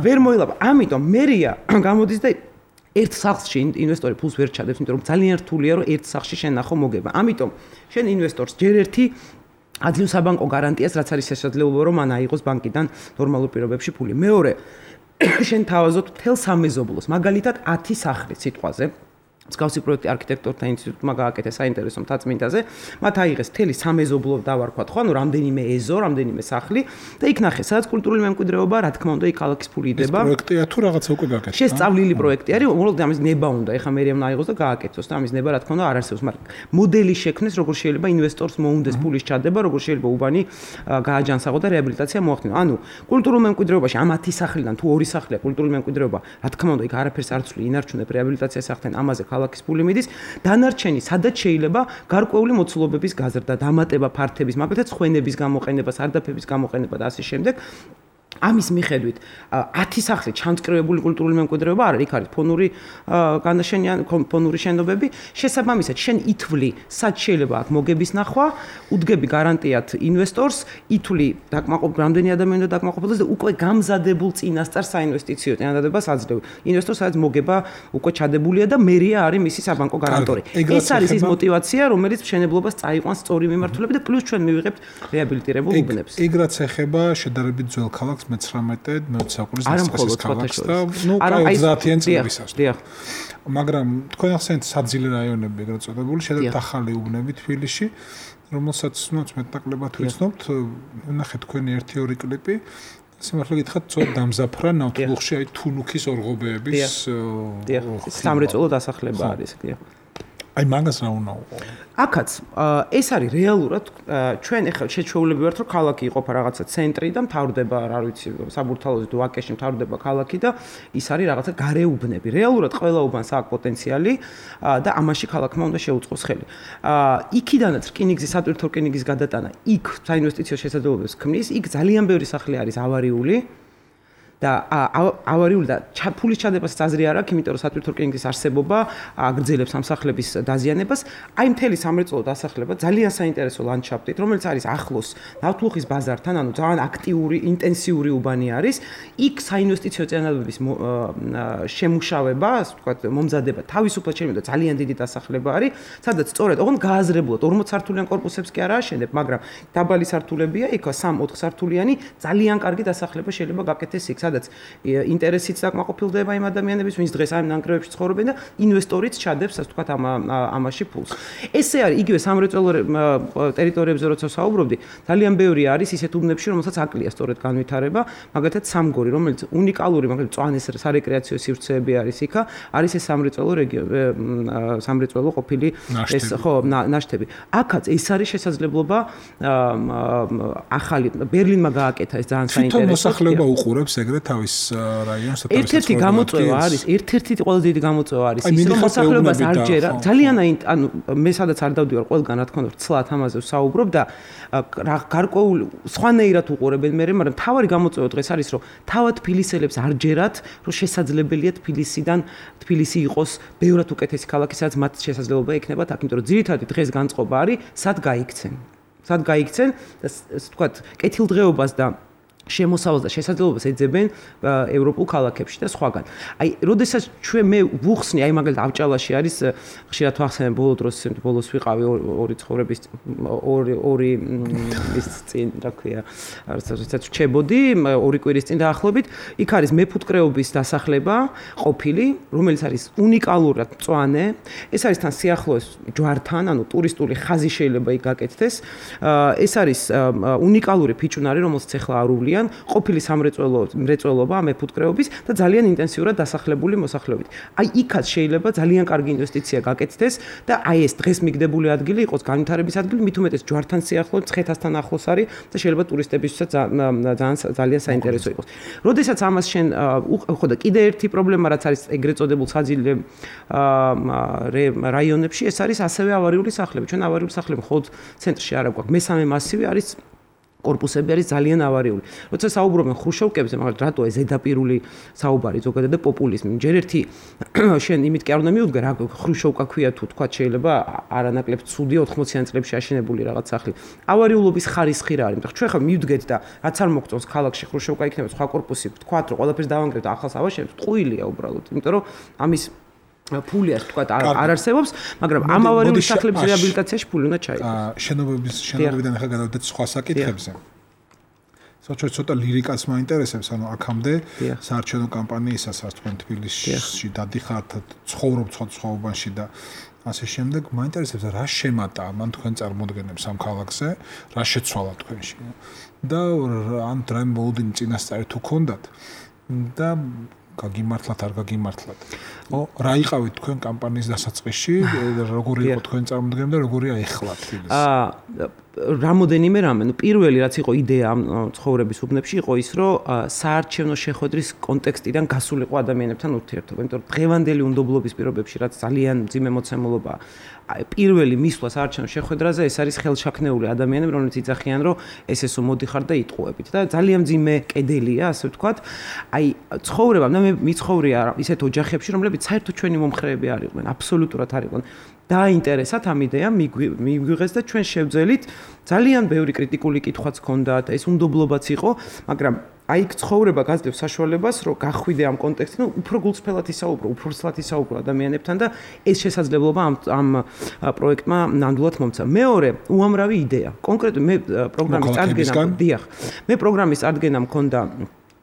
ვერ მოილაპარაკებს. ამიტომ მერია გამოდის და ერთ სახლში ინვესტორი ფულს ვერ ჩადებს, იმიტომ რომ ძალიან რთულია რომ ერთ სახლში შენ ნახო მოგება. ამიტომ შენ ინვესტორს ჯერ ერთი ადგილ საბანკო გარანტიას რაც არის შესაძლებლობა რომ მან აიღოს ბანკიდან ნორმალურ პირობებში ფული. მეორე შენ თავაზობ მთელ სამეზობლოს, მაგალითად 10 სახლი სიტყვაზე მსგავსი პროექტი არქიტექტორთა ინსტიტუტმა გააკეთა საინტერესო მთაწმინდაზე, მათ აიღეს მთელი სამეზობლო დავარქვათ, ხო, ანუ რამდენიმე ეზო, რამდენიმე სახლი და იქ ნახეს, სადაც კულტურული მემკვიდრეობა, რა თქმა უნდა, იქ ქალაქის ფული იდება. ეს პროექტია თუ რაღაცა უკვე გააკეთა? შესწავლილი პროექტი არის, უბრალოდ ამის ნება უნდა, ეხლა მერიამ აიღოს და გააკეთოს და ამის ნება, რა თქმა უნდა, არ არსებობს, მაგრამ მოდელი შექმნეს, როგორ შეიძლება ინვესტორს მოუნდეს ფულის ჩადება, როგორ შეიძლება უბანი გააჯანსაღო და რეაბილიტაცია მოახდინო. ანუ კულტურულ მემკვიდრეობაში ამ 10 სახლიდან თუ 2 სახლია კულტურული მემკვიდრეობა, რა თქმა უნდა, იქ არაფერს არ ცვლი, ინარჩუნებ რეაბილიტაციას ახდენ ამაზე ქალაქის ფული მიდის, დანარჩენი სადაც შეიძლება გარკვეული მოცულობების გაზრდა, დამატება ფართების, მაგალითად ცხენების გამოყენება, სარდაფების გამოყენება და ასე შემდეგ. ამის მიხედვით 10 სახლი ჩამწკრივებული კულტურული მემკვიდრეობა არ არის, იქ არის ფონური განაშენიან, ფონური შენობები. შესაბამისად, შენ ითვლი, სად შეიძლება აქ მოგების ნახვა, უდგები გარანტიად ინვესტორს, ითვლი დაკმაყოფილ რამდენი ადამიანი უნდა დაკმაყოფილდეს და უკვე გამზადებულ წინასწარ საინვესტიციო წინადადებას აძლევ. ინვესტორს სადაც მოგება უკვე ჩადებულია და მერია არის მისი საბანკო გარანტორი. ეს არის ის мотиваცია, რომელიც მშენებლობას წაიყვანს სწორი მიმართულებით და პლუს ჩვენ მივიღებთ რეაბილიტირებულ უბნებს. ეგ რაც ეხება შედარებით ძველ ქალაქს 19-20 საუკუნის დასაწყისის ქალაქს და ნუ 30-იან წლებისას. მაგრამ თქვენ ახსენეთ საძილე რაიონები ეგრეთ წოდებული, შედარებით ახალი უბნები თბილისში, რომელსაც ნუ მეტნაკლებად ვიცნობთ, ნახეთ თქვენი 1-2 კლიპი. სიმართლე გითხრათ, ცოტა დამზაფრა ნავთლუღში აი თუნუქის ორღობეების სამრეწველო დასახლება არის, კი. აი მაგას რა უნდა უყო? აქაც ეს არის რეალურად ჩვენ ახლა შეჩვეულები ვართ რომ ქალაქი იყოფა რაღაცა ცენტრი და მთავრდება რა ვიცი საბურთალოზე თუ ვაკეში მთავრდება ქალაქი და ის არის რაღაცა გარეუბნები. რეალურად ყველა უბანს აქვს პოტენციალი და ამაში ქალაქმა უნდა შეუწყოს ხელი. იქიდანაც რკინიგზის სატვირთო რკინიგზის გადატანა იქ საინვესტიციო შესაძლებლობებს ქმნის, იქ ძალიან ბევრი სახლი არის ავარიული და ავარიული და ფულის ჩადებასაც აზრი არ აქვს, იმიტომ რომ სატვირთო რკინიგზის არსებობა აგრძელებს სამსახლების დაზიანებას. აი მთელი სამრეწველო დასახლება ძალიან საინტერესო ლანდშაფტით, რომელიც არის ახლოს ნავთლუხის ბაზართან, ანუ ძალიან აქტიური, ინტენსიური უბანი არის. იქ საინვესტიციო წინადადების შემუშავება, ასე ვთქვათ, მომზადება თავისუფლად შეიძლება ძალიან დიდი დასახლება არის, სადაც სწორედ ოღონდ გააზრებულად 40 სართულიან კორპუსებს კი არ ააშენებ, მაგრამ დაბალი სართულებია, იქ 3-4 სართულიანი ძალიან კარგი დასახლება შეიძლება გაკეთდეს იქ, სადაც ინტერესიც დაკმაყოფილდება იმ ადამიანების, ვინც დღეს ამ ნანგრევებში ცხოვრობენ და ინვესტორიც ჩადებს, ასე ვთქვათ, ამაში ფულს. ესე არის იგივე სამრეწველო ტერიტორიებზე როცა საუბრობდი, ძალიან ბევრი არის ისეთ უბნებში, რომელსაც აკლია სწორედ განვითარება, მაგალითად სამგორი, რომელიც უნიკალური, მაგალითად წვანის სარეკრეაციო სივრცეები არის იქა, არის ეს სამრეწველო ყოფილი ეს ხო ნაშთები. აქაც ეს არის შესაძლებლობა ახალი ბერლინმა გააკეთა ეს ძალიან საინტერესო. თვითონ მოსახლეობა უყურებს ეგრეთ თავის რაიონს და თავის ერთ-ერთი გამოწვევა არის, ერთ-ერთი ყველაზე დიდი გამოწვევა არის ის, რომ მოსახლეობას არ ჯერა. ძალიან ანუ მე სადაც არ დავდივარ ყველგან რა თქმა უნდა ცლად ამაზე ვსაუბრობ და გარკვეულ სხვანაირად უყურებენ მე, მაგრამ თავარი გამოწვევა დღეს არის, რომ თავად თბილისელებს არ ჯერათ, რომ შესაძლებელია თბილისი იყოს ბევრად უკეთესი ქალაქი, სადაც მათ შესაძლებლობა ექნებათ აქ, იმიტომ რომ ძირითადად დღეს განწყობა არის, სად გაიქცენ და ვთქვათ, კეთილდღეობას და შემოსავალს და შესაძლებლობას ეძებენ ევროპულ ქალაქებში და სხვაგან. აი, როდესაც მე ვუხსნი, აი მაგალითად ავჭალაში არის ხშირად ვახსენებ ბოლო დროს, ბოლოს ვიყავი ორი ცხოვრების ორი ის წინ, რა ქვია, როდესაც ვჩებოდი, ორი კვირის წინ დაახლოებით, იქ არის მეფუტკრეობის დასახლება ყოფილი, რომელიც არის უნიკალურად მწვანე. ეს არის თან სიახლოვეს ჯვართან, ანუ ტურისტული ხაზი შეიძლება იქ გაკეთდეს. ეს არის უნიკალური ფიჭვნარი, რომელსაც ახლა არ უვლიან ყოფილი სამრეწველობა, მეფუტკრეობის და ძალიან ინტენსიურად დასახლებული მოსახლეობით. აი იქაც შეიძლება ძალიან კარგი ინვესტიცია გაკეთდეს და აი ეს დღეს მიგდებული ადგილი იყოს განვითარების ადგილი, მით უმეტეს ჯვართან სიახლოვეს, ცხეთასთან ახლოს არის და შეიძლება ტურისტებისთვისაც ძალიან საინტერესო იყოს. როდესაც ამას შენ ხო და კიდე ერთი პრობლემა რაც არის ეგრეთ წოდებულ საძილე რაიონებში, ეს არის ასევე ავარიული სახლები. ჩვენ ავარიული სახლები მხოლოდ ცენტრში არ აქვს. მესამე მასივი არის კორპუსები არის ძალიან ავარიული. როცა საუბრობენ ხრუშოვკებზე, მაგრამ რატო ეს ზედაპირული საუბარი ზოგადად და პოპულიზმი. ჯერ ერთი შენ იმით კი არ უნდა მიუდგე, რა ხრუშოვკა ქვია თუ თქვა შეიძლება არანაკლებ ცუდი 80-იან წლებში აშენებული რაღაც სახლი. ავარიულობის ხარისხი რა არის? მაგრამ ჩვენ ხა მივდგეთ და რაც არ მოგწონს ქალაქში ხრუშოვკა იქნება სხვა კორპუსი, თქვათ რომ ყველაფერს დავანგრევთ და ახალს ავაშენებთ, ტყუილია უბრალოდ. იმიტომ რომ ამის ფული ასე თქვა არ არსებობს, მაგრამ ამ ავარიული სახლების რეაბილიტაციაში ფული უნდა ჩაიგოს. შენობებიდან ახლა გადავიდეთ სხვა საკითხებზე. საერთოდ ცოტა ლირიკაც მაინტერესებს, ანუ აქამდე საარჩევნო კამპანიისას რაც თქვენ თბილისში დადიხართ, ცხოვრობთ სხვა უბანში და ასე შემდეგ, მაინტერესებს რა შემატა მან თქვენ წარმოდგენებს ამ ქალაქზე, რა შეცვალა თქვენში. და ან დრაიმ ბოლდინი წინასწარი თუ ქონდათ და გაგიმართლათ არ გაგიმართლათ. რა იყავით თქვენ კამპანიის დასაწყისში, როგორი იყო თქვენ წარმოდგენა და როგორია ეხლა თბილისი? რამოდენიმე რამე, პირველი რაც იყო იდეა ამ ცხოვრების უბნებში იყო ის, რომ საარჩევნო შეხვედრის კონტექსტიდან გასულიყო ადამიანებთან ურთიერთობა, იმიტომ რომ დღევანდელი უნდობლობის პირობებში რაც ძალიან მძიმე მოცემულობაა, პირველი მისვლა საარჩევნო შეხვედრაზე ეს არის ხელშაქნეული ადამიანები, რომლებიც იძახიან, რომ ესესო მოდიხარ და იტყუებით და ძალიან მძიმე კედელია, ასე ვთქვათ. აი, ცხოვრება, მე მიცხოვრია ისეთ ოჯახებში, რომლებიც საერთოდ ჩვენი მომხრეები არ იყვნენ, აბსოლუტურად არ იყვნენ. დაინტერესათ ამ იდეამ მიგვიღეს და ჩვენ შევძელით, ძალიან ბევრი კრიტიკული კითხვაც ჰქონდათ, ეს უნდობლობაც იყო, მაგრამ აი ცხოვრება გაძლევს საშუალებას, რომ გახვიდე ამ კონტექსტიდან, უფრო გულწრფელად ისაუბრო, უფრო სლად ისაუბრო ადამიანებთან და ეს შესაძლებლობა ამ პროექტმა ნამდვილად მომცა. მეორე, უამრავი იდეა. კონკრეტულად მე პროგრამის წარდგენა, დიახ. მე პროგრამის წარდგენა მქონდა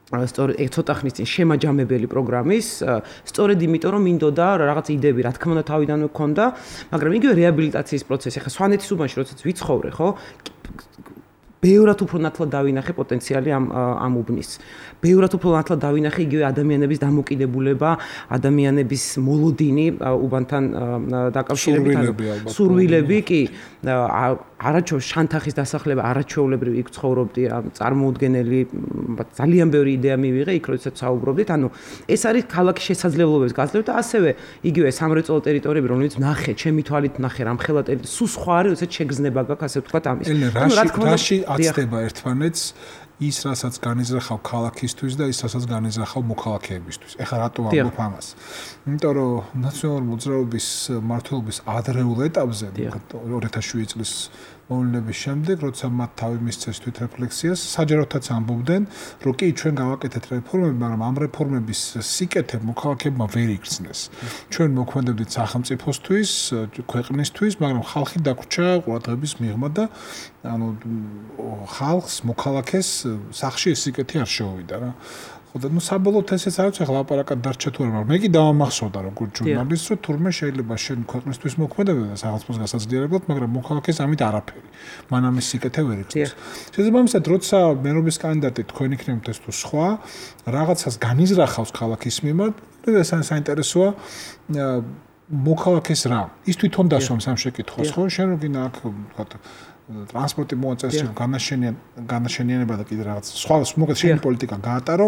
სწორედ ცოტა ხნის წინ შემაჯამებელი პროგრამის, სწორედ იმიტომ რომ მინდოდა რაღაც იდეები, რა თქმა უნდა თავიდანვე მქონდა, მაგრამ იგივე რეაბილიტაციის პროცესი, ხა სვანეთის უბანში როდესაც ვიცხოვრე, ხო? ბევრად უფრო ნათლად დავინახე პოტენციალი ამ უბნის. ბევრად უფრო ნათლად დავინახე იგივე ადამიანების დამოკიდებულება, ადამიანების მოლოდინი უბანთან დაკავშირებით, სურვილები კი შანთახის დასახლება, არაჩვეულებრივი იქ ცხოვრობდი, წარმოუდგენელი ძალიან ბევრი იდეა მივიღე იქ როდესაც საუბრობდით, ანუ ეს არის ქალაქის შესაძლებლობების გაძლევა და ასევე იგივე სამრეწველო ტერიტორიები, რომელიც ნახე, ჩემი თვალით ნახე, რამხელა ტერიტორია, სულ სხვა არის, როდესაც შეგრძნება გაქვს, ასე ვთქვათ ამის. ანუ რა თქმა უნდა აცდება ერთმანეთს ის რასაც განიზრახავ ქალაქისთვის და ის რასაც განიზრახავ მოქალაქეებისთვის. ეხლა რატო ვამბობ ამას? იმიტომ რომ ნაციონალური მოძრაობის მმართველობის ადრეულ ეტაპზე 2007 წლის მოვლენების შემდეგ, როცა მათ თავი მისცეს თვითრეფლექსიას, საჯაროთაც ამბობდნენ, რომ კი ჩვენ გავაკეთეთ რეფორმები, მაგრამ ამ რეფორმების სიკეთე მოქალაქეებმა ვერ იგრძნეს. ჩვენ მოქმედებდით სახელმწიფოსთვის, ქვეყნისთვის, მაგრამ ხალხი დაგვრჩა ყურადღების მიღმა და ანუ ხალხს, მოქალაქეს სახში ეს სიკეთე არ შეუვიდა რა. ხოდა ნუ საბოლოოდ ესეც არ ვიცი, ახლა ლაპარაკად დარჩა თუ არა, მაგრამ მე კი დავამახსოვდა როგორც ჟურნალისტს, რომ თურმე შეიძლება შენ ქვეყნისთვის მოქმედებდა და სახელმწიფოს გასაძლიერებლად, მაგრამ მოქალაქეს ამით არაფერი. მან ამის სიკეთე ვერ იგრძნოს. შესაბამისად, როცა მერობის კანდიდატი თქვენ იქნებთ ეს თუ სხვა, რაღაცას განიზრახავს ქალაქის მიმართ, ეს საინტერესოა მოქალაქეს რა. ის თვითონ დასვამს ამ შეკითხვას, ხო? შენ რო გინდა აქ ვთქვათ ტრანსპორტი მოაწესრიგო, განაშენიანება და კიდე რაღაც სხვა მოკლედ შენი პოლიტიკა გაატარო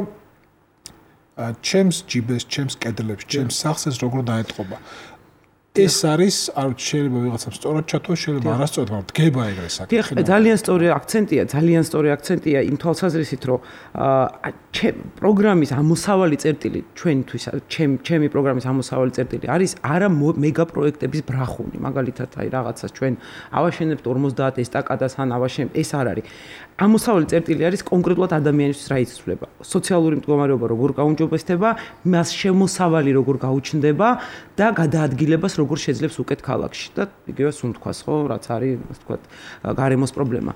ჩემს ჯიბეს, ჩემს კედლებს, ჩემს სახლს ეს როგორ დაეტყობა. ეს არის არ შეიძლება ვიღაცამ სწორად ჩათვალოს, შეიძლება არასწორად, მაგრამ დგება ეგრე საკითხი. ძალიან სწორი აქცენტია იმ თვალსაზრისით, რომ პროგრამის ამოსავალი წერტილი ჩვენთვის, ჩემი პროგრამის ამოსავალი წერტილი არის არა მეგა პროექტების ბრახუნი, მაგალითად, აი რაღაცას ჩვენ ავაშენებთ 50 ესტაკადას ან ავაშენებთ, ეს არ არის. ამოსავალი წერტილი არის კონკრეტულად ადამიანისთვის რა იცვლება. სოციალური მდგომარეობა როგორ გაუმჯობესდება, მას შემოსავალი როგორ გაუჩნდება და გადაადგილებას როგორ შეძლებს უკეთ ქალაქში და იგივე სუნთქვას, ხო, რაც არის, ასე ვთქვათ, გარემოს პრობლემა.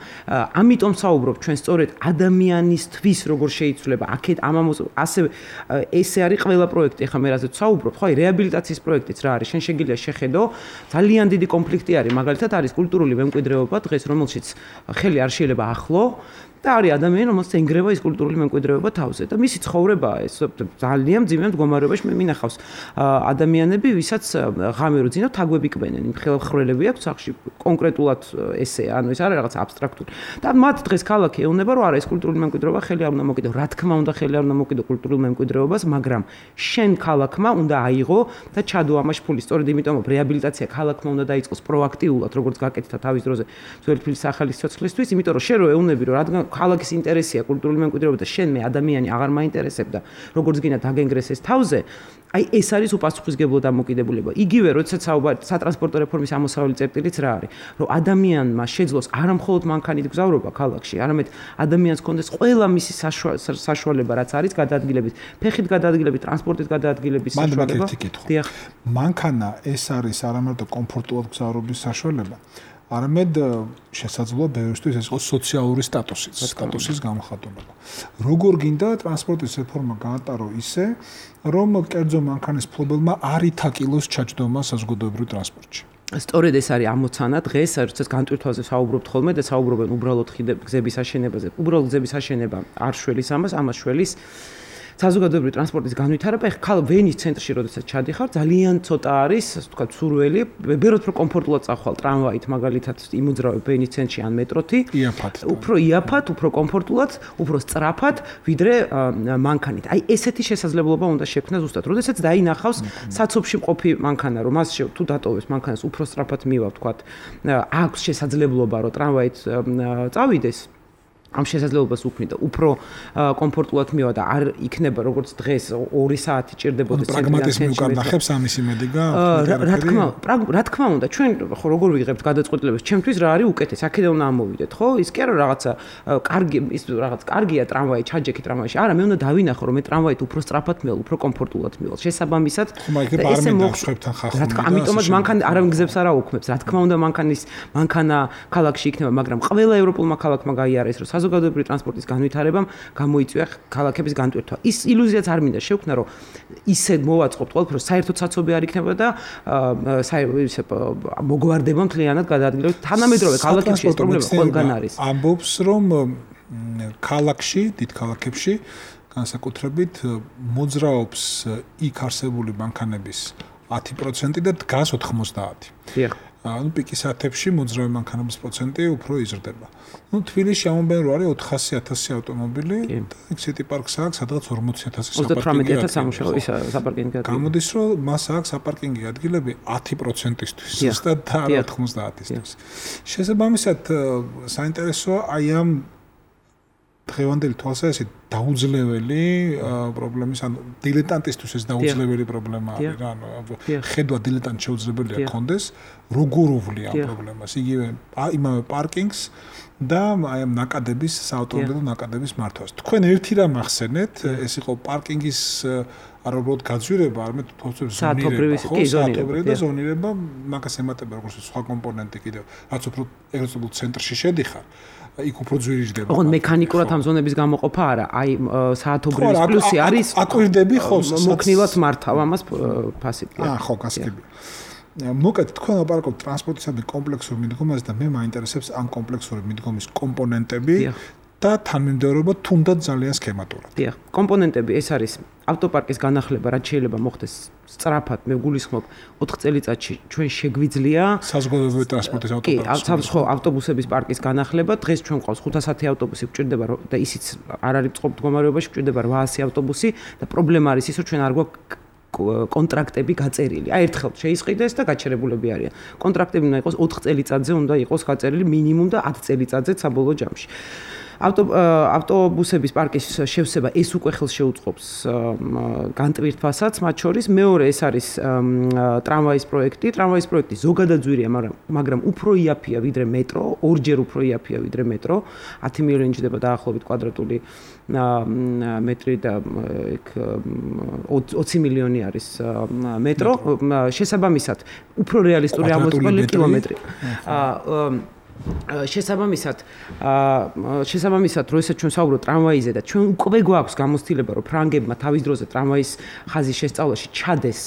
ამიტომ საუბრობ ჩვენ სწორედ ადამიანისთვის როგორ შეიცვლება. აქეთ ასე ესე არის ყველა პროექტი, ახლა მე რაზეც საუბრობ, ხო, რეაბილიტაციის პროექტიც რა არის? შენ შეგიძლია შეხედო, ძალიან დიდი კონფლიქტი არის, მაგალითად არის კულტურული მემკვიდრეობა დღეს, რომელშიც ხელი არ შეიძლება ახლო და არის ადამიანი, რომელსაც ენგრევა ის კულტურული მემკვიდრეობა თავზე და მისი ცხოვრებაა ეს ძალიან მძიმე მდგომარეობაში მე მინახავს ადამიანები, ვისაც ღამე რო ძინავ თაგვები კბენენ, იმ ხელხრელები აქვს სახში კონკრეტულად ესე, ანუ ეს არის რაღაც აბსტრაქტული. და მათ დღეს ქალაქი ეუბნება, რომ არა ეს კულტურული მემკვიდრეობა ხელი არ უნდა მოკიდო, რა თქმა უნდა ხელი არ უნდა მოკიდო კულტურულ მემკვიდრეობას, მაგრამ შენ ქალაქმა უნდა აიღო და ჩადო ამაში ფული, სწორედ იმიტომ რომ რეაბილიტაცია ქალაქმა უნდა დაიწყოს პროაქტიულად, როგორც გაკეთდა თავის დროზე ძველი თბილისის ახალი სიცოცხლისთვის, იმიტომ რომ შენ რო ეუბნები, რომ რადგან ქალაქის ინტერესია კულტურული მემკვიდრეობა და შენ მე ადამიანი აღარ მაინტერესებდა როგორც გინდა დაგენგრეს ეს თავზე აი ეს არის უპასუხისმგებლო დამოკიდებულება იგივე როდესაც სატრანსპორტო რეფორმის ამოსავალი წერტილიც რა არის რომ ადამიანმა შეძლოს არა მხოლოდ მანქანით გზავრობა ქალაქში არამედ ადამიანს კონდეს ყველა მისი საშუალება რაც არის გადაადგილების ფეხით გადაადგილების ტრანსპორტით გადაადგილების საშუალება დიახ მანქანა ეს არის არა მარტო კომფორტულად გზავრობის საშუალება არამედ შესაძლოა ბევრისთვის ეს იყოს სოციალური სტატუსის გამოხატულება. როგორ გინდა ტრანსპორტის რეფორმა გაატარო ისე, რომ კერძო მანქანის ფლობელმა არ ითაკილოს ჩაჯდომა საზოგადოებრივ ტრანსპორტში. სწორედ ეს არის ამოცანა დღეს, როდესაც განტვირთვაზე საუბრობთ ხოლმე და საუბრობენ უბრალოდ გზების აშენებაზე. უბრალოდ გზების აშენება არ შველის ამას შველის საზოგადოებრივი ტრანსპორტის განვითარება, ეხლა ვენის ცენტრში როდესაც ჩადიხარ, ძალიან ცოტა არის, ასე ვთქვათ, სურველი, ბევრად უფრო კომფორტულად წახვალ ტრამვაით, მაგალითად, იმოძრავებ ვენის ცენტრში ან მეტროთი. უფრო იაფად, უფრო კომფორტულად, უფრო სწრაფად, ვიდრე მანქანით. აი, ესეთი შესაძლებლობა უნდა შექმნას ზუსტად. როდესაც დაინახავს საცობში მყოფი მანქანა, რომ მას თუ დატოვებს მანქანას უფრო სწრაფად მივა, ვთქვათ, აქვს შესაძლებლობა, რომ ტრამვაით წავიდეს. ამ შესაძლებლობას უქმნიდა უფრო კომფორტულად მივა და არ იქნება როგორც დღეს 2 საათი ჭირდებოდეს პრაგმატიზმი უკან ნახებს ამის იმედი რა თქმა უნდა ჩვენ ხო როგორ ვიღებთ გადაწყვეტილებას ჩემთვის რა არის უკეთეს აქედან უნდა ამოვიდეთ ხო ის კი არა რაღაცა კარგი ის რაღაც კარგია ტრამვაი ჩაჯექი ტრამვაიში არა მე უნდა დავინახო რომ მე ტრამვაით უფრო სწრაფად მივალ უფრო კომფორტულად მივალ შესაბამისად ესე მოხსხვებთან ხახუნდა რა თქმა ამიტომაც მანქანა არავინ გზებს არ აუქმებს რა თქმა უნდა მანქანა ქალაქში იქნება მაგრამ ყველა ევროპულმა ქალაქმა გაიარეს რომ საზოგადოებრივი ტრანსპორტის განვითარებამ გამოიწვია ქალაქების განტვირთვა. ის ილუზიაც არ მინდა შევქმნა, რომ ისე მოვაწყობთ ყველაფერს, საერთოდ საცობი არ იქნება და მოგვარდება მთლიანად გადაადგილებით. თანამედროვე ქალაქებში ეს პრობლემა ყველგან არის. ამბობს, რომ ქალაქში, დიდ ქალაქებში, განსაკუთრებით მოძრაობს იქ არსებული მანქანების 10% და დგას 90%. დიახ. ანუ პიკის საათებში მოძრავი მანქანების პროცენტი უფრო იზრდება. ნუ თბილისში ამობენ რომ არის 400,000 ავტომობილი და სიტი პარკს აქვს სადღაც 40,000 საპარკინგი ადგილები. გამოდის რომ მას აქვს საპარკინგი ადგილები 10%-ისთვის ზუსტად და 90%-ისთვის. შესაბამისად საინტერესოა აი ამ დღევანდელი თვალსაზრისით დაუძლეველი პრობლემის, ანუ დილეტანტისთვის ეს დაუძლეველი პრობლემა არის რა, ანუ ხედვა დილეტანტ შეუძლებელია კონდეს, როგორ უვლია ამ პრობლემას, იგივე იმავე პარკინგს და აი ამ ნაკადების, საავტომობილო ნაკადების მართვას. თქვენ ერთი რამ ახსენეთ, ეს იყო პარკინგის არ უბრალოდ გაძვირება, არამედ ზონირება და ზონირება, მაგას ემატება როგორც სხვა კომპონენტი კიდევ, რაც უფრო ეგრეთ ცენტრში შედიხარ. იქ უფრო ძვირიჯდება. ოღონდ მექანიკურად ამ ზონების გამოყოფა არა, აი საათობრივის პლუსი არის აკვირდები ხო მოქნილად მართავ ამას ფასით. ხო, გასაგები. მოკეთ თქვენ აპარაკობთ ტრანსპორტისადმი კომპლექსურ მიდგომაზე და მე მაინტერესებს ამ კომპლექსური მიდგომის კომპონენტები და თანმიმდევრობა თუნდაც ძალიან სქემატურად. დიახ, კომპონენტები ეს არის ავტოპარკის განახლება, რაც შეიძლება მოხდეს სწრაფად, მე გულისხმობ 4 წელიწადში ჩვენ შეგვიძლია საზოგადოებრივი ტრანსპორტის ავტოპარკის. ხო, ავტობუსების პარკის განახლება, დღეს ჩვენ ყავს 510 ავტობუსი, გვჭირდება და ისიც არ არის წყობ მდგომარეობაში, გვჭირდება 800 ავტობუსი და პრობლემა არის ის, რომ ჩვენ არ გვაქვს კონტრაქტები გაწერილი. აი ერთხელ შეისყიდეს და გაჩერებულები არიან. კონტრაქტები უნდა იყოს 4 წელიწადზე უნდა იყოს გაწერილი მინიმუმ და 10 წელიწადზე საბოლოო ჯამში. ავტობუსების პარკის შევსება ეს უკვე ხელს შეუწყობს განტვირთვასაც, მათ შორის მეორე ეს არის ტრამვაის პროექტი. ტრამვაის პროექტი ზოგადად ძვირია, მაგრამ უფრო იაფია ვიდრე მეტრო, ორჯერ უფრო იაფია ვიდრე მეტრო. 10 მილიონი ჯდება დაახლოებით კვადრატული მეტრი და იქ 20 მილიონი არის მეტრო. შესაბამისად, უფრო რეალისტური ამოწყებული კილომეტრი. შესაბამისად, როდესაც ჩვენ საუბრობთ ტრამვაიზე და ჩვენ უკვე გვაქვს გამოცდილება, რომ ფრანგებმა თავის დროზე ტრამვაის ხაზის შესწავლაში ჩადეს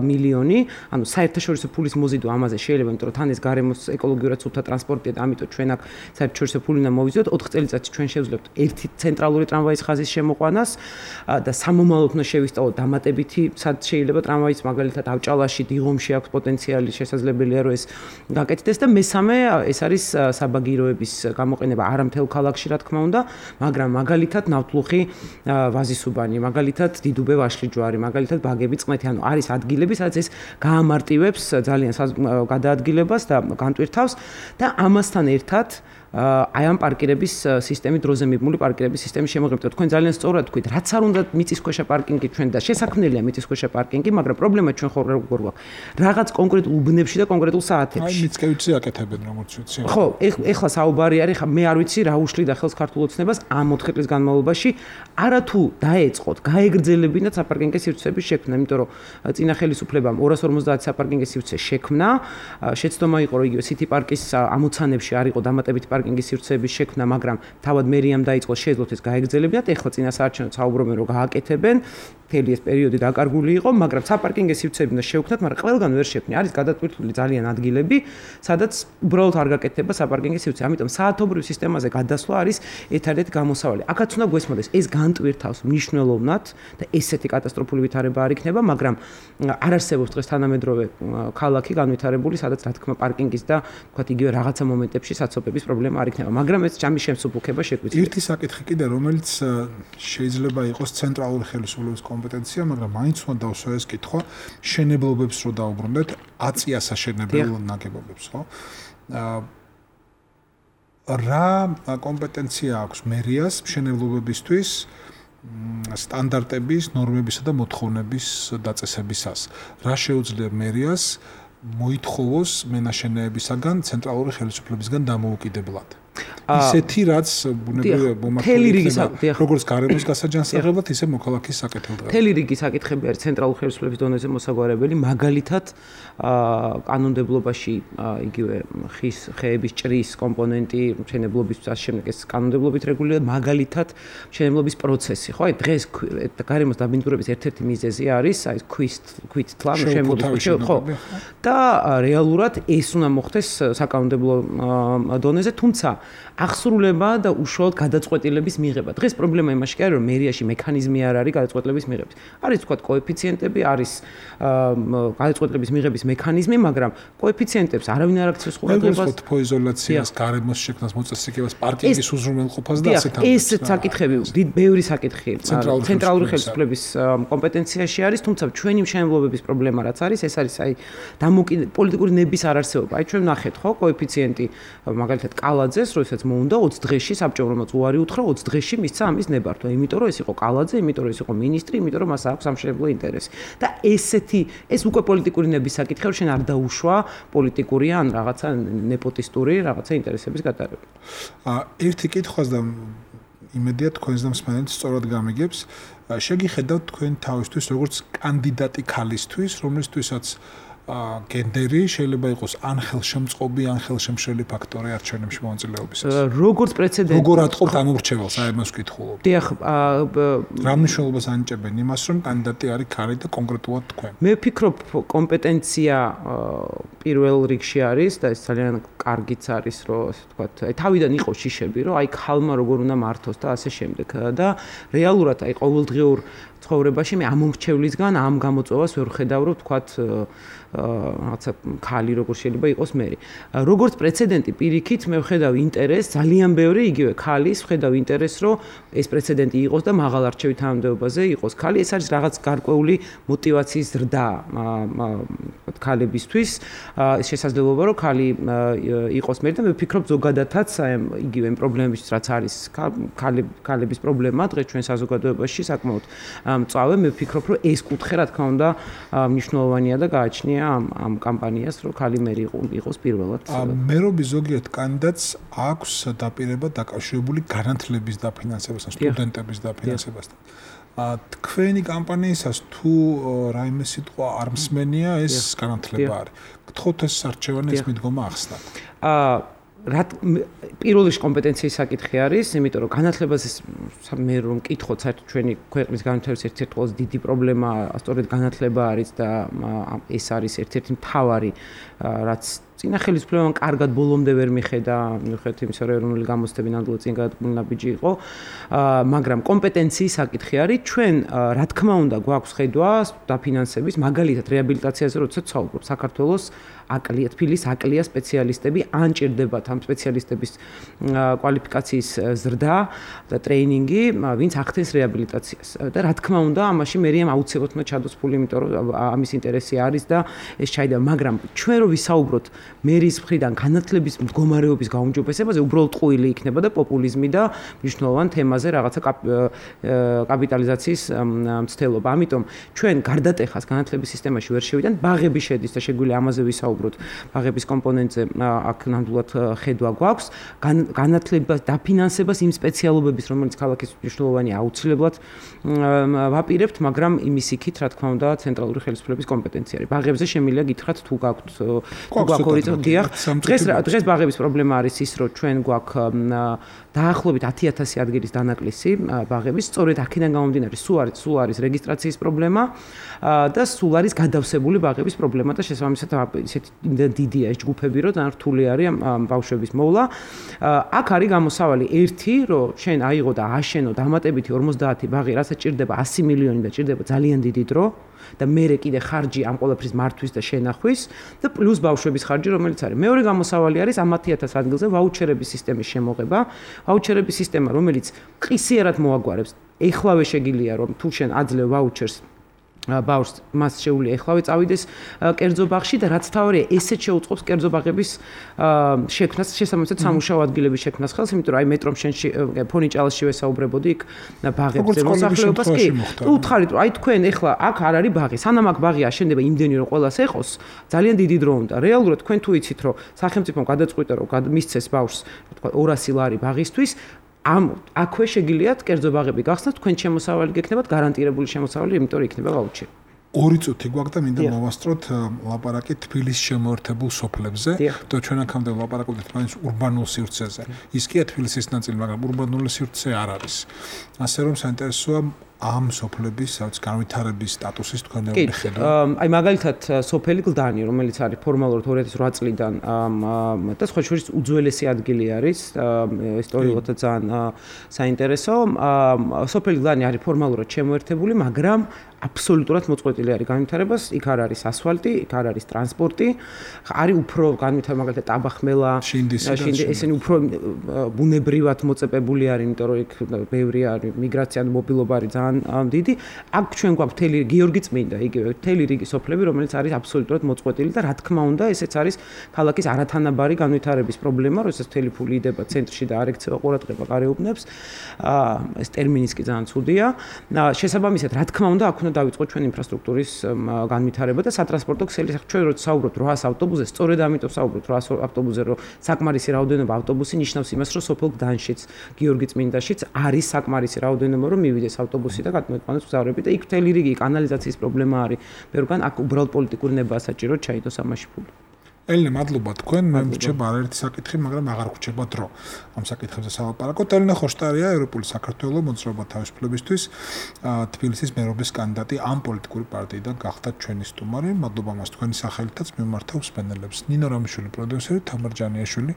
მილიონი, ანუ საერთაშორისო ფულის მოზიდვა ამაზე შეიძლება, იმიტომ რომ თან ეს გარემოს ეკოლოგიურად სუფთა ტრანსპორტია და ამიტომ ჩვენაკ საერთაშორისო ფული უნდა მოვიზიდოთ. 4 წელიწადში ჩვენ შევძლებთ ერთი ცენტრალური ტრამვაის ხაზის შემოყვანას და სამომავლოდ უნდა შევისწავლოთ დამატებითი, სად შეიძლება ტრამვაის მაგალითად ავჭალაში, დიღომში აქვს პოტენციალი, შესაძლებელია რომ ეს გაკეთდეს და მესამე ეს არის საბაგიროების გამოყენება არა მთელ ქალაქში რა თქმა უნდა, მაგრამ მაგალითად ნავთლუხი ვაზისუბანი, მაგალითად დიდუბე ვაშლიჯვარი, მაგალითად ბაგები წყმეთი, ანუ არის ადგილები, სადაც ეს გაამარტივებს ძალიან გადაადგილებას და განტვირთავს და ამასთან ერთად აი ამ პარკირების სისტემის დროზე მიბმული პარკირების სისტემის შემოღებდა. თქვენ ძალიან სწორად თქვით, რაც არ უნდა მიწისქვეშა პარკინგი ჩვენ და შესაქმნელია მიწისქვეშა პარკინგი, მაგრამ პრობლემა ჩვენ ხო როგორ გვაქვს? რაღაც კონკრეტულ უბნებში და კონკრეტულ საათებში. აი მიწკევიცი აკეთებენ როგორც ვიცი. ხო, ეხლა საუბარი არის, მე არ ვიცი რა უშლიდა ხელს ქართულ ოცნებას ამ 4 წლის განმავლობაში, არა თუ დაეწყოთ, გაეგრძელებინათ საპარკინგო სივრცეების შექმნა, იმიტომ რომ წინა ხელისუფლებამ 250 საპარკინგო სივრცე შექმნა, შეცდომა იყო რომ იგივე სიტი პარკის ამოცანებში არ იყო დამატებითი პარკინგის სივრცეების შექმნა, მაგრამ თავად მერიამ დაიწყო შეძლოთ ეს გაეგრძელებინათ. ეხლა წინა საარჩევნოდ საუბრობენ რომ გააკეთებენ. მთელი ეს პერიოდი დაკარგული იყო, მაგრამ საპარკინგო სივრცეები უნდა შევქმნათ, მაგრამ ყველგან ვერ შექმნია. არის გადატვირთული ძალიან ადგილები, სადაც უბრალოდ არ გაკეთდება საპარკინგო სივრცე. ამიტომ საათობრივ სისტემაზე გადასვლა არის ერთადერთი გამოსავალი. აქაც უნდა გვესმოდეს, ეს განტვირთავს მნიშვნელოვნად და ესეთი კატასტროფული ვითარება არ იქნება, მაგრამ არ არსებობს დღეს თანამედროვე ქალაქი განვითარებული, სადაც რა თქმა პარკინგის და თქვათ იგივე რაღაცა მომენტებში საცობების პრობლემა არ იქნება, მაგრამ ეს ჯამის შემსუბუქება შეგვიძლია. ერთი საკითხი კიდე, რომელიც შეიძლება იყოს ცენტრალური ხელისუფლების კომპეტენცია, მაგრამ მაინც უნდა დავსვა ეს კითხვა, შენებლობებს რო დაუბრუნდეთ, აწია საშენებელ ნაგებობებს, ხო? რა კომპეტენცია აქვს მერიას მშენებლობებისთვის სტანდარტების, ნორმებისა და მოთხოვნების დაწესებისას? რა შეუძლია მერიას მოითხოვოს მენაშენეებისაგან ცენტრალური ხელისუფლებისგან დამოუკიდებლად? ისეთი რაც ბუნებრივია მომართული როგორც გარემოს გასაჯანსაღებლად, ისე მოქალაქის საკეთილდღეობად. მთელი რიგი საკითხები არის ცენტრალური ხელისუფლების დონეზე მოსაგვარებელი, მაგალითად კანონმდებლობაში იგივე ხის, ხეების ჭრის კომპონენტი, მშენებლობის ამავე ეს კანონმდებლობით რეგულირება, მაგალითად მშენებლობის პროცესი, ხო? აი დღეს გარემოს დაბინძურების ერთ-ერთი მიზეზი არის აი ქვით თლა მშენებლობის, ხო? და რეალურად ეს უნდა მოხდეს საკანონმდებლო დონეზე, თუმცა აღსრულება და უშუალოდ გადაწყვეტილების მიღება. დღეს პრობლემა იმაში არის, რომ მერიაში მექანიზმი არ არის გადაწყვეტილების მიღების. არის თქვა კოეფიციენტები, არის გადაწყვეტილების მიღების მექანიზმი, მაგრამ კოეფიციენტებს არავინ არ აქცევს ყურადღებას. ეს თოიზოლაციას, გარემოს შექმნას, მოწესრიგებას, პარკინგის უზრუნველყოფას და ასეთ ამბებს. ეს საკითხები, ბევრი საკითხი ცენტრალური ხელისუფლების კომპეტენციაში არის, თუმცა ჩვენი მშენებლობების პრობლემა რაც არის, ეს არის აი პოლიტიკური ნების არ არსებობა. აი ჩვენ ნახეთ, ხო, კოეფიციენტი მაგალითად კალაძეს როდესაც მოუნდა 20 დღეში საბჭომ რომელსაც უარი უთხრა 20 დღეში მისცა ამის ნებართვა, იმიტომ რომ ეს იყო კალაძე, იმიტომ რომ ეს იყო მინისტრი, იმიტომ რომ მას აქვს სამშენებლო ინტერესი. და ეს უკვე პოლიტიკური ნების საკითხია, რომ შენ არ დაუშვა პოლიტიკური ან რაღაცა ნეპოტისტური რაღაცა ინტერესების გატარება. ერთი კითხვას და იმედია თქვენს და მსმენელს სწორად გამიგებს. შეგიხედავთ თქვენ თავისთვის როგორც კანდიდატი ქალისთვის, რომლისთვისაც გენდერი შეიძლება იყოს ან ხელშემწყობი, ან ხელშემშლელი ფაქტორი არჩევნებში მონაწილეობისას. როგორც პრეცედენტი. როგორ ატყობთ ამ ურჩეველს, აი ამას ვკითხულობ. დიახ, რა მნიშვნელობას ანიჭებენ იმას, რომ კანდიდატი არის ქალი და კონკრეტულად თქვენ? მე ვფიქრობ, კომპეტენცია პირველ რიგში არის და ეს ძალიან კარგიც არის, რომ ასე ვთქვათ, აი თავიდან იყოს შიშები, რომ აი ქალმა როგორ უნდა მართოს და ასე შემდეგ. და რეალურად აი ყოველდღიურ ცხოვრებაში მე ამ მომრჩევლისგან ამ გამოწვევას ვერ ხედავ, რომ ვთქვათ რაღაცა ქალი როგორ შეიძლება იყოს მე. როგორც პრეცედენტი პირიქით მე ვხედავ ინტერესს, ძალიან ბევრი იგივე ქალის ვხედავ ინტერესს, რომ ეს პრეცედენტი იყოს და მაღალ არჩევით თანამდებობაზე იყოს ქალი. ეს არის რაღაც გარკვეული мотиваციის ზრდა ქალებისთვის. ეს შესაძლებლობა რომ ქალი იყოს მე და მე ვფიქრობ ზოგადადაც აი იგივე იმ პრობლემებიც რაც არის ქალების პრობლემა დღეს ჩვენ საზოგადოებაში საკმაოდ მწვავე მე ვფიქრობ რომ ეს კუთხე რა თქმა უნდა მნიშვნელოვანია და გააჩნია ამ კამპანიას რომ ქალი მერი იყოს პირველად. მერობის ზოგიერთ კანდიდატს აქვს დაპირება დაკავშირებული განათლების დაფინანსებასთან, სტუდენტების დაფინანსებასთან. თქვენი კამპანიისას თუ რაიმე სიტყვა არ მსმენია ეს განათლება არის. გთხოვთ ეს არჩევანი ეს მიდგომა ახსნათ. პირველ რიგში კომპეტენციის საკითხი არის, იმიტომ რომ განათლებას მე რომ მკითხოთ, საერთოდ ჩვენი ქვეყნის განათლების ერთ-ერთი ყველაზე დიდი პრობლემა სწორედ განათლება არის და ეს არის ერთ-ერთი მთავარი რაც წინა ხელისუფლებამ კარგად ბოლომდე ვერ მიხედა, მიუხედავად იმისა, რომ ეროვნული გამოცდები ნამდვილად წინ გადადგმული ნაბიჯი იყო, მაგრამ კომპეტენციის საკითხი არის, ჩვენ რა თქმა უნდა გვაქვს ხედვა დაფინანსების, მაგალითად რეაბილიტაციაზე როდესაც საუბრობ, საქართველოს თბილისის აკლია სპეციალისტები, ან ჭირდებათ ამ სპეციალისტების კვალიფიკაციის ზრდა და ტრეინინგი, ვინც ახდენს რეაბილიტაციას. და რა თქმა უნდა, ამაში მერიამ აუცილებლად უნდა ჩადოს ფული, იმიტომ რომ ამის ინტერესი არის და ეს ჩაიდება, მაგრამ ჩვენ რო ვისაუბროთ მერის მხრიდან განათლების მდგომარეობის გაუმჯობესებაზე, უბრალოდ ტყუილი იქნება და პოპულიზმი და მნიშვნელოვან თემაზე რაღაცა კაპიტალიზაციის მცდელობა. ამიტომ ჩვენ გარდატეხას განათლების სისტემაში ვერ შევიდან, ბაღები შედის და შეგვიძლია ამაზე ვისაუბროთ, ბაღების კომპონენტზე აქ ნამდვილად ხედვა გვაქვს, განათლებას დაფინანსებას იმ სპეციალობების, რომელიც ქალაქის მნიშვნელოვანია, აუცილებლად ვაპირებთ, მაგრამ იმის იქით, რა თქმა უნდა, ცენტრალური ხელისუფლების კომპეტენცია არის. ბაღებზე შემიძლია გითხრათ თუ გაქვთ დღეს ბაღების პრობლემა არის ის, რომ ჩვენ გვაქვს დაახლოებით 10,000 ადგილის დანაკლისი ბაღების, სწორედ აქედან გამომდინარე, სულ არის რეგისტრაციის პრობლემა და სულ არის გადავსებული ბაღების პრობლემა და შესაბამისად ისეთი დიდია ეს ჯგუფები, რომ ძალიან რთული არის ბავშვების მოვლა. აქ არის გამოსავალი ერთი, რომ შენ აიღო და აშენო დამატებითი 50 ბაღი, რასაც ჭირდება 100 მილიონი და ჭირდება ძალიან დიდი დრო. და მერე კიდე ხარჯი ამ ყველაფრის მართვის და შენახვის და პლუს ბავშვების ხარჯი რომელიც არის. მეორე გამოსავალი არის ამ 10,000 ადგილზე ვაუჩერების სისტემის შემოღება. ვაუჩერების სისტემა რომელიც ყისიერად მოაგვარებს. ეხლავე შეგიძლია რომ თუ შენ აძლევ ვაუჩერს ბავშვს მას შეუძლია ეხლავე წავიდეს კერძო ბაღში და რაც თავარია ესეც შეუწყობს კერძო ბაღების შექმნას, შესაბამისად სამუშაო ადგილების შექმნას ხელს, იმიტომ რომ აი მეტრომ შენში ფონიჭალში ვესაუბრებოდი იქ ბაღებზე მოსახლეობას კი. თუ უთხარით რომ აი თქვენ ეხლა აქ არ არის ბაღი, სანამ აქ ბაღი აშენდება იმდენი რომ ყველას ეყოს, ძალიან დიდი დრო უნდა. რეალურად თქვენ თუ იცით რომ სახელმწიფომ გადაწყვიტა რომ მისცეს ბავშვს, თქვა 200 ლარი ბაღისთვის, აქვე შეგიძლიათ კერძო ბაღები გახსნათ, თქვენ შემოსავალი გექნებათ, გარანტირებული შემოსავალი, იმიტომ რომ იქნება ვაუჩერი. 2 წუთი გვაქვს და მინდა მოვასწროთ ლაპარაკი თბილისში შემოერთებულ სოფლებზე და ჩვენ აქამდე ვლაპარაკობდით მაინც ურბანულ სივრცეზე. ის კია თბილისის ნაწილი, მაგრამ ურბანული სივრცე არ არის. ასე რომ საინტერესოა ამ სოფლების განვითარების სტატუსის თქვენეული ხედვა. აი მაგალითად სოფელი გლდანი, რომელიც არის ფორმალურად 2008 წლიდან და სხვა შორის უძველესი ადგილი არის, ისტორიულად ძალიან საინტერესო. სოფელი გლდანი არის ფორმალურად შემოერთებული, მაგრამ აბსოლუტურად მოწყვეტილი არის განვითარებას, იქ არ არის ასფალტი, იქ არ არის ტრანსპორტი, არის უფრო განვითარება მაგალითად ტაბახმელა, ესენი უფრო ბუნებრივად მოწეპებული არის, იმიტომ რომ იქ ბევრი არის მიგრაცია, მობილობა არის ძალიან ძალიან დიდი. აქ ჩვენ გვაქვს მთელი გიორგი წმინდა, იგივე მთელი რიგი სოფლები, რომელიც არის აბსოლუტურად მოწყვეტილი და რა თქმა უნდა, ესეც არის ქალაქის არათანაბარი განვითარების პრობლემა, როდესაც მთელი ფული იდება ცენტრში და არ ექცევა ყურადღება გარეუბნებს. ეს ტერმინიც კი ძალიან ცუდია. შესაბამისად, რა თქმა უნდა, აქ უნდა დავიწყოთ ჩვენ ინფრასტრუქტურის განვითარება და სატრანსპორტო ქსელის. ჩვენ როცა საუბრობთ 800 ავტობუსზე, სწორედ ამიტომ საუბრობთ 800 ავტობუსზე, რომ საკმარისი რაოდენობა ავტობუსი ნიშნავს იმას, რომ სოფელ გდანშიც, გიორგი წმინდაშიც არის საკმარისი რაოდენობა, რომ მივიდეს ავტობუსი და გადმოიყვანოს მგზავრები და იქ მთელი რიგი კანალიზაციის პრობლემა არის. ბევრგან აქ უბრალოდ პოლიტიკური ნებაა საჭირო ჩაიდოს ამაში ფული. ელენე, მადლობა თქვენ. მე მრჩება არაერთი საკითხი, მაგრამ აღარ გვჭირდება დრო ამ საკითხებზე სალაპარაკოთ. ელენე ხოშტარია, ევროპული საქართველოს მოძრაობა თავისუფლებისთვის თბილისის მერობის კანდიდატი ამ პოლიტიკური პარტიიდან გახდა ჩვენი სტუმარი. მადლობა მას თქვენი სახელითაც მიმართავ მსმენელებს. ნინო რამიშვილი პროდიუსერი, თამარ ჯანიაშვილი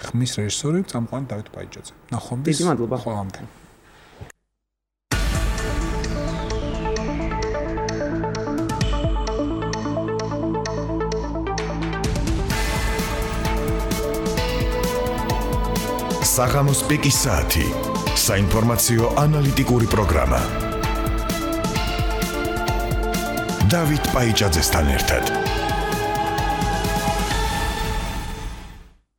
ხმის რეჟისორი, წამყვანი დავით ბაიჯაძე. ნახვამდის. დიდი მადლობა. ხვამამდე. საღამოს პიკის საათი. საინფორმაციო ანალიტიკური პროგრამა. დავით ბაიჯაძესთან ერთად.